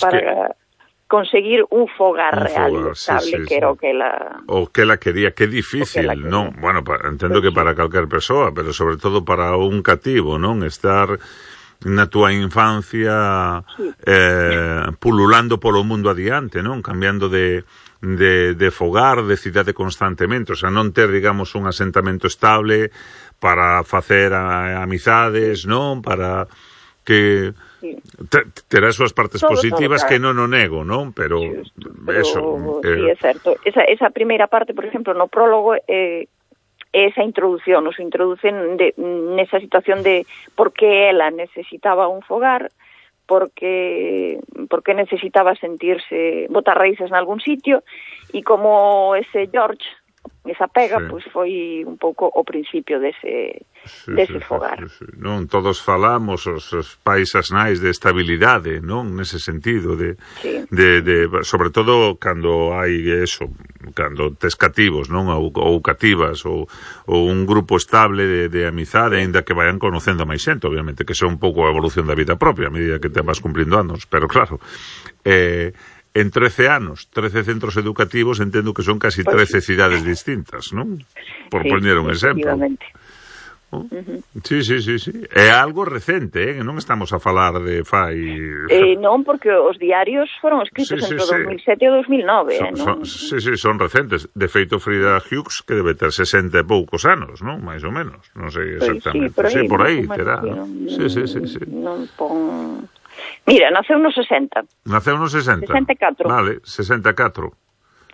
Para conseguir un fogar real e estable, que era o que ela...
O que ela quería, que difícil, non? Bueno, entendo que para calquer persoa, pero sobre todo para un cativo, non? Estar na túa infancia pululando polo mundo adiante, non? Cambiando de fogar, de cidade constantemente, o sea, non ter, digamos, un asentamento estable para facer amizades, non? Para que... terá as súas partes positivas, que non o nego, non? Pero eso...
Sí, é certo. Esa primeira parte, por exemplo, no prólogo, esa introducción, nos introducen nesa situación de por que ela necesitaba un fogar, porque necesitaba sentirse, botar raíces en algún sitio, e como ese George, esa pega, pois foi un pouco o principio dese fogar.
Non, todos falamos, os pais as nais, de estabilidade, non? Nese sentido, de sobre todo cando hai eso, cando tes cativos, non? Ou cativas, ou un grupo estable de amizade, ainda que vayan conocendo máis xente, obviamente, que son un pouco a evolución da vida propia, a medida que te vas cumprindo anos, pero claro, en 13 anos, 13 centros educativos, entendo que son casi 13 cidades distintas, non? Por poñer un exemplo. Sí. É algo recente, non estamos a falar de fai...
Non, porque os diarios foron escritos entre o 2007 e o 2009, non?
Sí, son recentes. De feito, Frida Hughes, que debe ter 60 e poucos anos, non? Mais ou menos. Non sei exactamente. Sí, por aí terá. Sí.
Non pon... Mira, naceu no 60.
Naceu no 60?
64.
Vale, 64.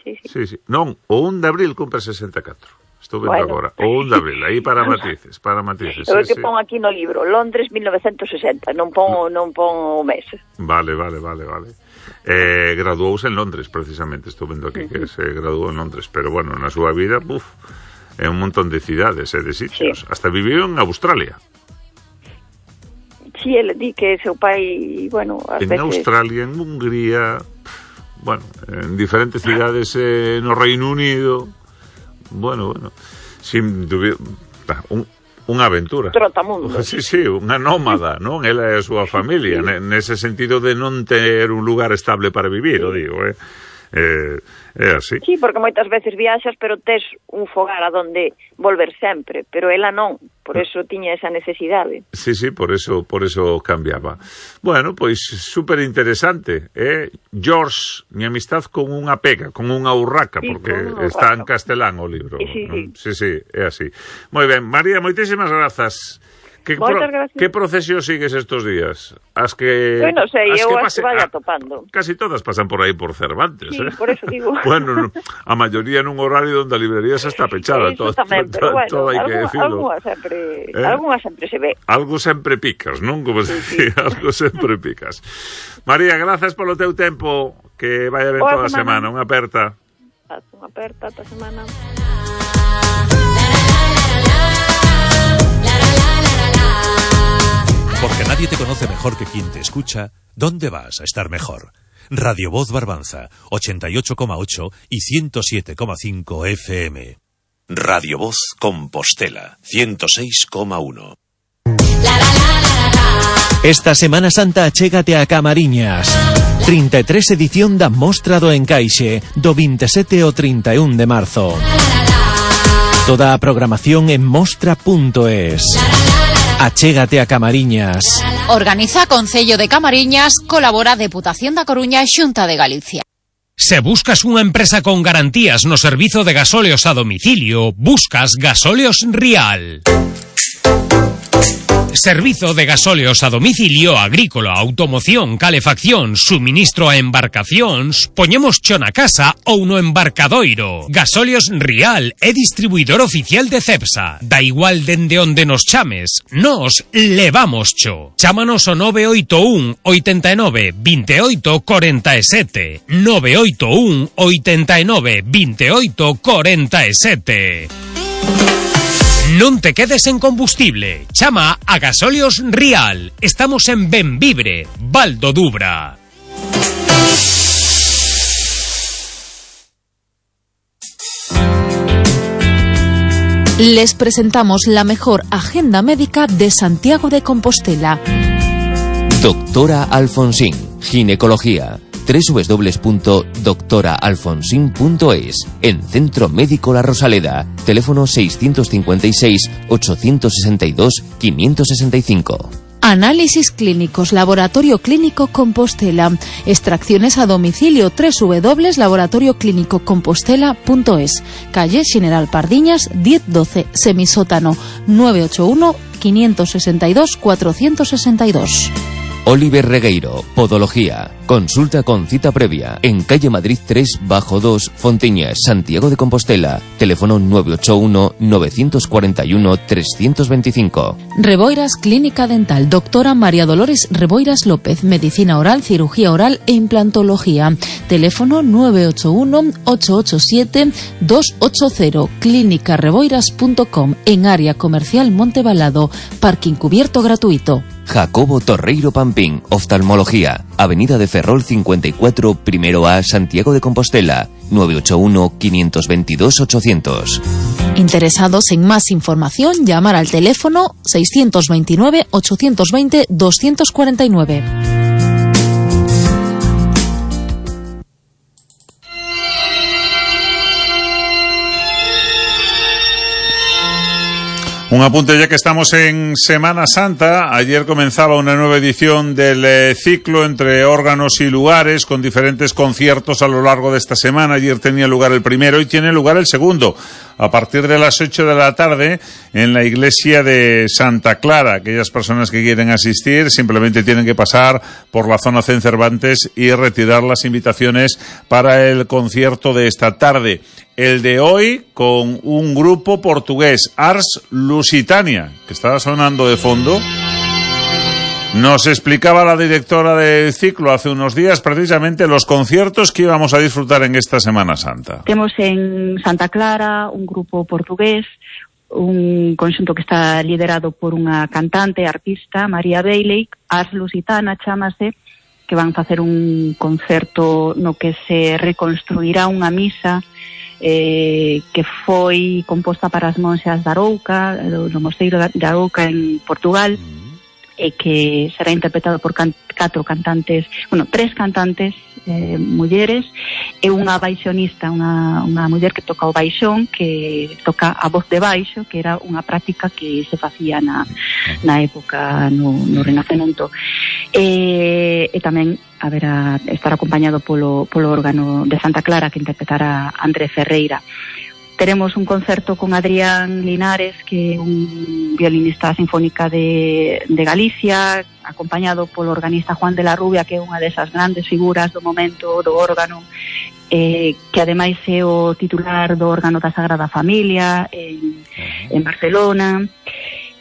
Sí. Non, o 1 de abril cumpre 64. Estou vendo agora. O 1 de abril, aí para matices.
Eu que pon aquí no libro, Londres 1960, non pon o mes.
Vale. Graduouse en Londres, precisamente, estou vendo aquí que se graduou en Londres, pero bueno, na súa vida, é un montón de cidades e de sitios. Hasta viviu en Australia.
Sí, ele di que seu pai, bueno, ás veces...
En Australia, en Hungría, bueno, en diferentes cidades no Reino Unido, bueno, sin dúbida, unha aventura.
Trotamundo.
Sí, unha nómada, non? Ela e a súa familia, nese sentido de non ter un lugar estable para vivir, o digo, É así.
Sí, porque moitas veces viaxas, pero tes un fogar a donde volver sempre, pero ela non, por eso tiña esa necesidade.
Sí, por eso cambiaba. Bueno, pois super interesante, George, mi amistad con unha pega, con unha urraca, porque está en castelán o libro. Sí, é así. Moi ben, María, moitísimas grazas. Que procesión sigues estos días? As que...
Bueno, sei, eu as que vaya topando.
Casi todas pasan por aí por Cervantes,
Sí, por eso digo.
Bueno, a maioría nun horario onde a librería xa está pechada.
Eso tamén, pero bueno,
algunha
sempre se ve.
Algo sempre picas, non? Como se dicía, algo sempre picas. María, grazas polo teu tempo, que vaya ben toda a semana. Unha aperta.
Unha aperta esta semana.
Porque nadie te conoce mejor que quien te escucha, ¿dónde vas a estar mejor? Radio Voz Barbanza, 88,8 y 107,5 FM. Radio Voz Compostela, 106,1.
Esta Semana Santa achégate a Camariñas. 33 edición da Mostra do Encaixe, do 27 ao 31 de marzo. Toda a programación en mostra.es. Achégate a Camariñas.
Organiza Concello de Camariñas, colabora Deputación da Coruña e Xunta de Galicia.
Se buscas unha empresa con garantías no servizo de gasóleos a domicilio, buscas Gasóleos Rial. Servizo de gasóleos a domicilio, agrícola, automoción, calefacción, suministro a embarcacións, poñemos cho na casa ou no embarcadoiro. Gasóleos Rial é distribuidor oficial de Cepsa. Da igual dende onde nos chames, nos levamos cho. Chámanos ao 981 89 28 47. 981 89 28 47. Non te quedes en combustible. Chama a Gasóleos Rial. Estamos en Benvibre, Val do Dubra.
Les presentamos la mejor agenda médica de Santiago de Compostela.
Doctora Alfonsín, ginecología. www.doctoraalfonsin.es. En Centro Médico La Rosaleda. Teléfono 652-862-565.
Análisis clínicos, Laboratorio Clínico Compostela. Extracciones a domicilio, www.laboratorioclinicocompostela.es. Calle General Pardiñas, 1012, semisótano, 981 562 462.
Oliver Regueiro, Podología. Consulta con cita previa en calle Madrid 3, bajo 2, Fonteñas, Santiago de Compostela. Teléfono 981-941-325.
Reboiras Clínica Dental. Doctora María Dolores Reboiras López. Medicina oral, cirugía oral e implantología. Teléfono 981-887-280. clínicareboiras.com. En área comercial Montebalado. Parking cubierto gratuito.
Jacobo Torreiro Pampín, Oftalmología. Avenida de Ferrol 54, primero A, Santiago de Compostela. 981-522-800.
Interesados en más información, llamar al teléfono 629-820-249.
Un apunte ya que estamos en Semana Santa. Ayer comenzaba una nueva edición del ciclo entre órganos y lugares con diferentes conciertos a lo largo de esta semana. Ayer tenía lugar el primero y tiene lugar el segundo a partir de las 8 de la tarde en la iglesia de Santa Clara. Aquellas personas que quieren asistir simplemente tienen que pasar por la zona Zen Cervantes y retirar las invitaciones para el concierto de esta tarde. El de hoy con un grupo portugués, Ars Lusitania, que estaba sonando de fondo. Nos explicaba la directora del ciclo hace unos días precisamente los conciertos que íbamos a disfrutar en esta Semana Santa.
Temos en Santa Clara un grupo portugués, un conxunto que está liderado por unha cantante, artista, María Bailey, Ars Lusitana chámase, que van facer un concerto no que se reconstruirá unha misa que foi composta para as monxas da Arouca, do mosteiro de Arouca en Portugal, e que será interpretado por 4 cantantes, bueno, 3 cantantes mulleres e unha baixonista, unha muller que toca o baixón, que toca a voz de baixo, que era unha práctica que se facía na época no Renacemento. E tamén estar acompañado polo órgano de Santa Clara, que interpretará André Ferreira. Teremos un concerto con Adrián Linares, que é un violinista sinfónica de Galicia, acompañado polo organista Juan de la Rubia, que é unha desas grandes figuras do momento do órgano, que ademais é o titular do órgano da Sagrada Familia en Barcelona.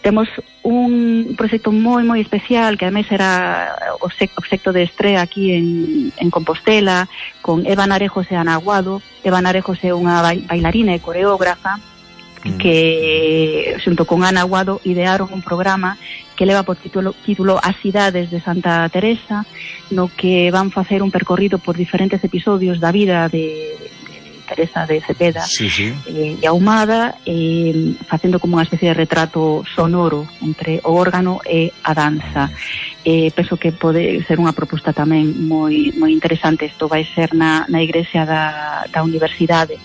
Temos un proxecto moi especial, que ademais era o proxecto de estrea aquí en Compostela, con Eva Narejos e Ana Aguado. Eva Narejos é unha bailarina e coreógrafa que, xunto con Ana Aguado, idearon un programa que leva por título As cidades de Santa Teresa, no que van facer un percorrido por diferentes episodios da vida de Teresa de Cepeda e Ahumada, facendo como unha especie de retrato sonoro entre o órgano e a danza. Penso que pode ser unha proposta tamén moi interesante. Isto vai ser na igrexa da universidade.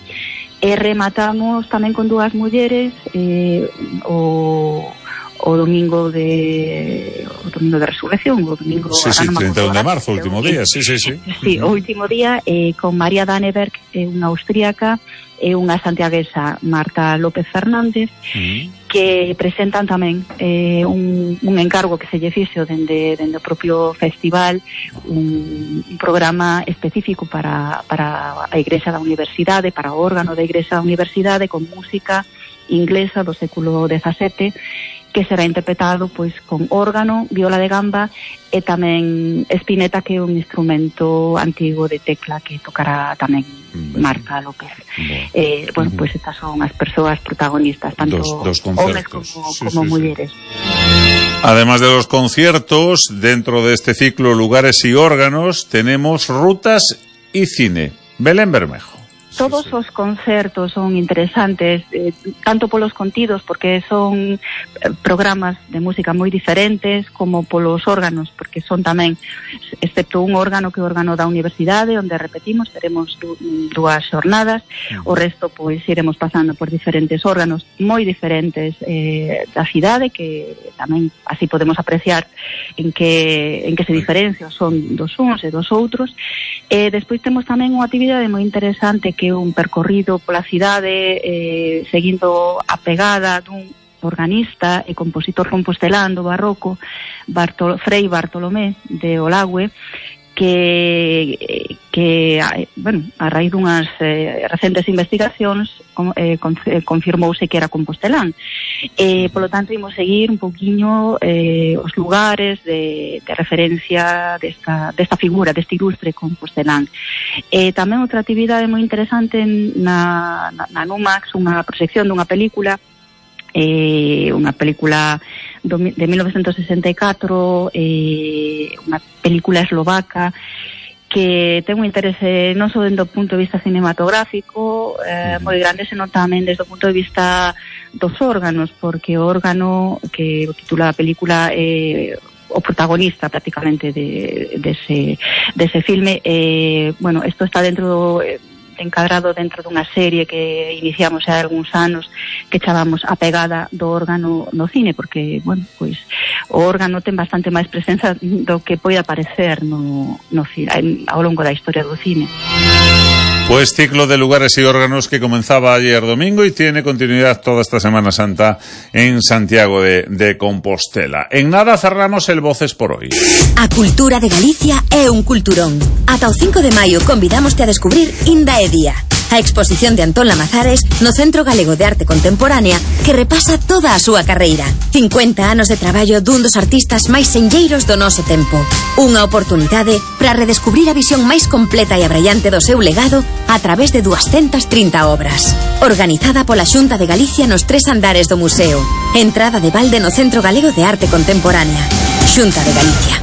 E rematamos tamén con 2 mulleres o domingo de Resurrección, o domingo
31 de marzo, o último día, sí,
o último día, con María Danneberg, unha austríaca, e unha santiaguesa, Marta López Fernández, que presentan tamén un encargo que se lle fixo dende o propio festival, un programa específico para a igrexa da universidade, para o órgano da igrexa da universidade, con música inglesa do século XVII, que será interpretado pois con órgano, viola de gamba e tamén espineta, que é un instrumento antigo de tecla que tocará tamén Marta López. Bueno, pois estas son as persoas protagonistas, tanto homes como mulleres.
Además de los conciertos, dentro de este ciclo Lugares y Órganos, tenemos rutas y cine. Belén Bermejo.
Todos os concertos son interesantes, tanto polos contidos, porque son programas de música moi diferentes, como polos órganos, porque son tamén, excepto un órgano que é o órgano da universidade, onde repetimos, teremos 2 xornadas, o resto pois iremos pasando por diferentes órganos moi diferentes da cidade, que tamén así podemos apreciar en que se diferencian son dos uns e dos outros. Despois temos tamén unha actividade moi interesante, que é un percorrido pola cidade, seguindo a pegada dun organista e compositor compostelán do barroco, Frei Bartolomé de Olague, que bueno, a raíz dunhas recentes investigacións confirmouse que era compostelán. Polo tanto, imos seguir un pouquiño os lugares de referencia desta figura, deste ilustre compostelán. Tamén outra actividade moi interesante na Numax, unha proxección dunha película de 1964, unha película eslovaca que ten un interese non só dentro do punto de vista cinematográfico moi grande, senón tamén desde o punto de vista dos órganos, porque o órgano que titula a película o protagonista prácticamente dese filme. Bueno, isto está encadrado dentro dunha serie que iniciamos hai algúns anos, que chamamos A pegada do órgano no cine, porque, bueno, pois o órgano ten bastante máis presenza do que pode aparecer no cine, ao longo da historia do cine.
Pues ciclo de lugares y órganos que comenzaba ayer domingo y tiene continuidad toda esta Semana Santa en Santiago de Compostela. En nada cerramos el Voces por hoy.
A cultura de Galicia é un culturón. Ata o 5 de maio convidámoste a descubrir Inda e Día, a exposición de Antón Lamazares no Centro Galego de Arte Contemporánea, que repasa toda a súa carreira. 50 anos de traballo dun dos artistas máis senlleiros do noso tempo. Unha oportunidade para redescubrir a visión máis completa e abrallante do seu legado a través de 230 obras. Organizada pola Xunta de Galicia nos 3 andares do museo. Entrada de balde no Centro Galego de Arte Contemporánea. Xunta de Galicia.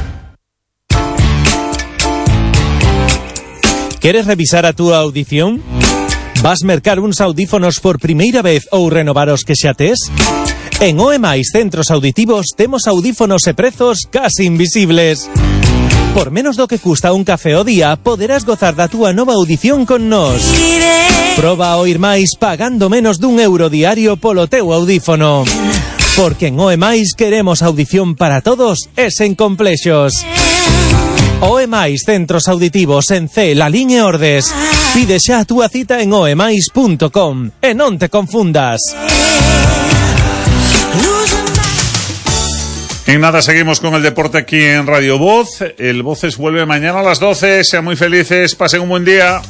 ¿Queres revisar a túa audición? Vas mercar uns audífonos por primeira vez ou renovar os que xa tes? En OE+ Centros Auditivos temos audífonos e prezos casi invisibles. Por menos do que custa un café ao día, poderás gozar da túa nova audición con nós. Proba a oír máis pagando menos d'1 € diario polo teu audífono. Porque en OE+ queremos audición para todos e sen complexos. OE+ Centros Auditivos en C, Lalín e Ordes. Pide xa a túa cita en oemais.com e non te confundas.
En nada seguimos con el deporte aquí en Radio Voz. El Voces vuelve mañana a las 12. Sean muy felices, pasen un buen día.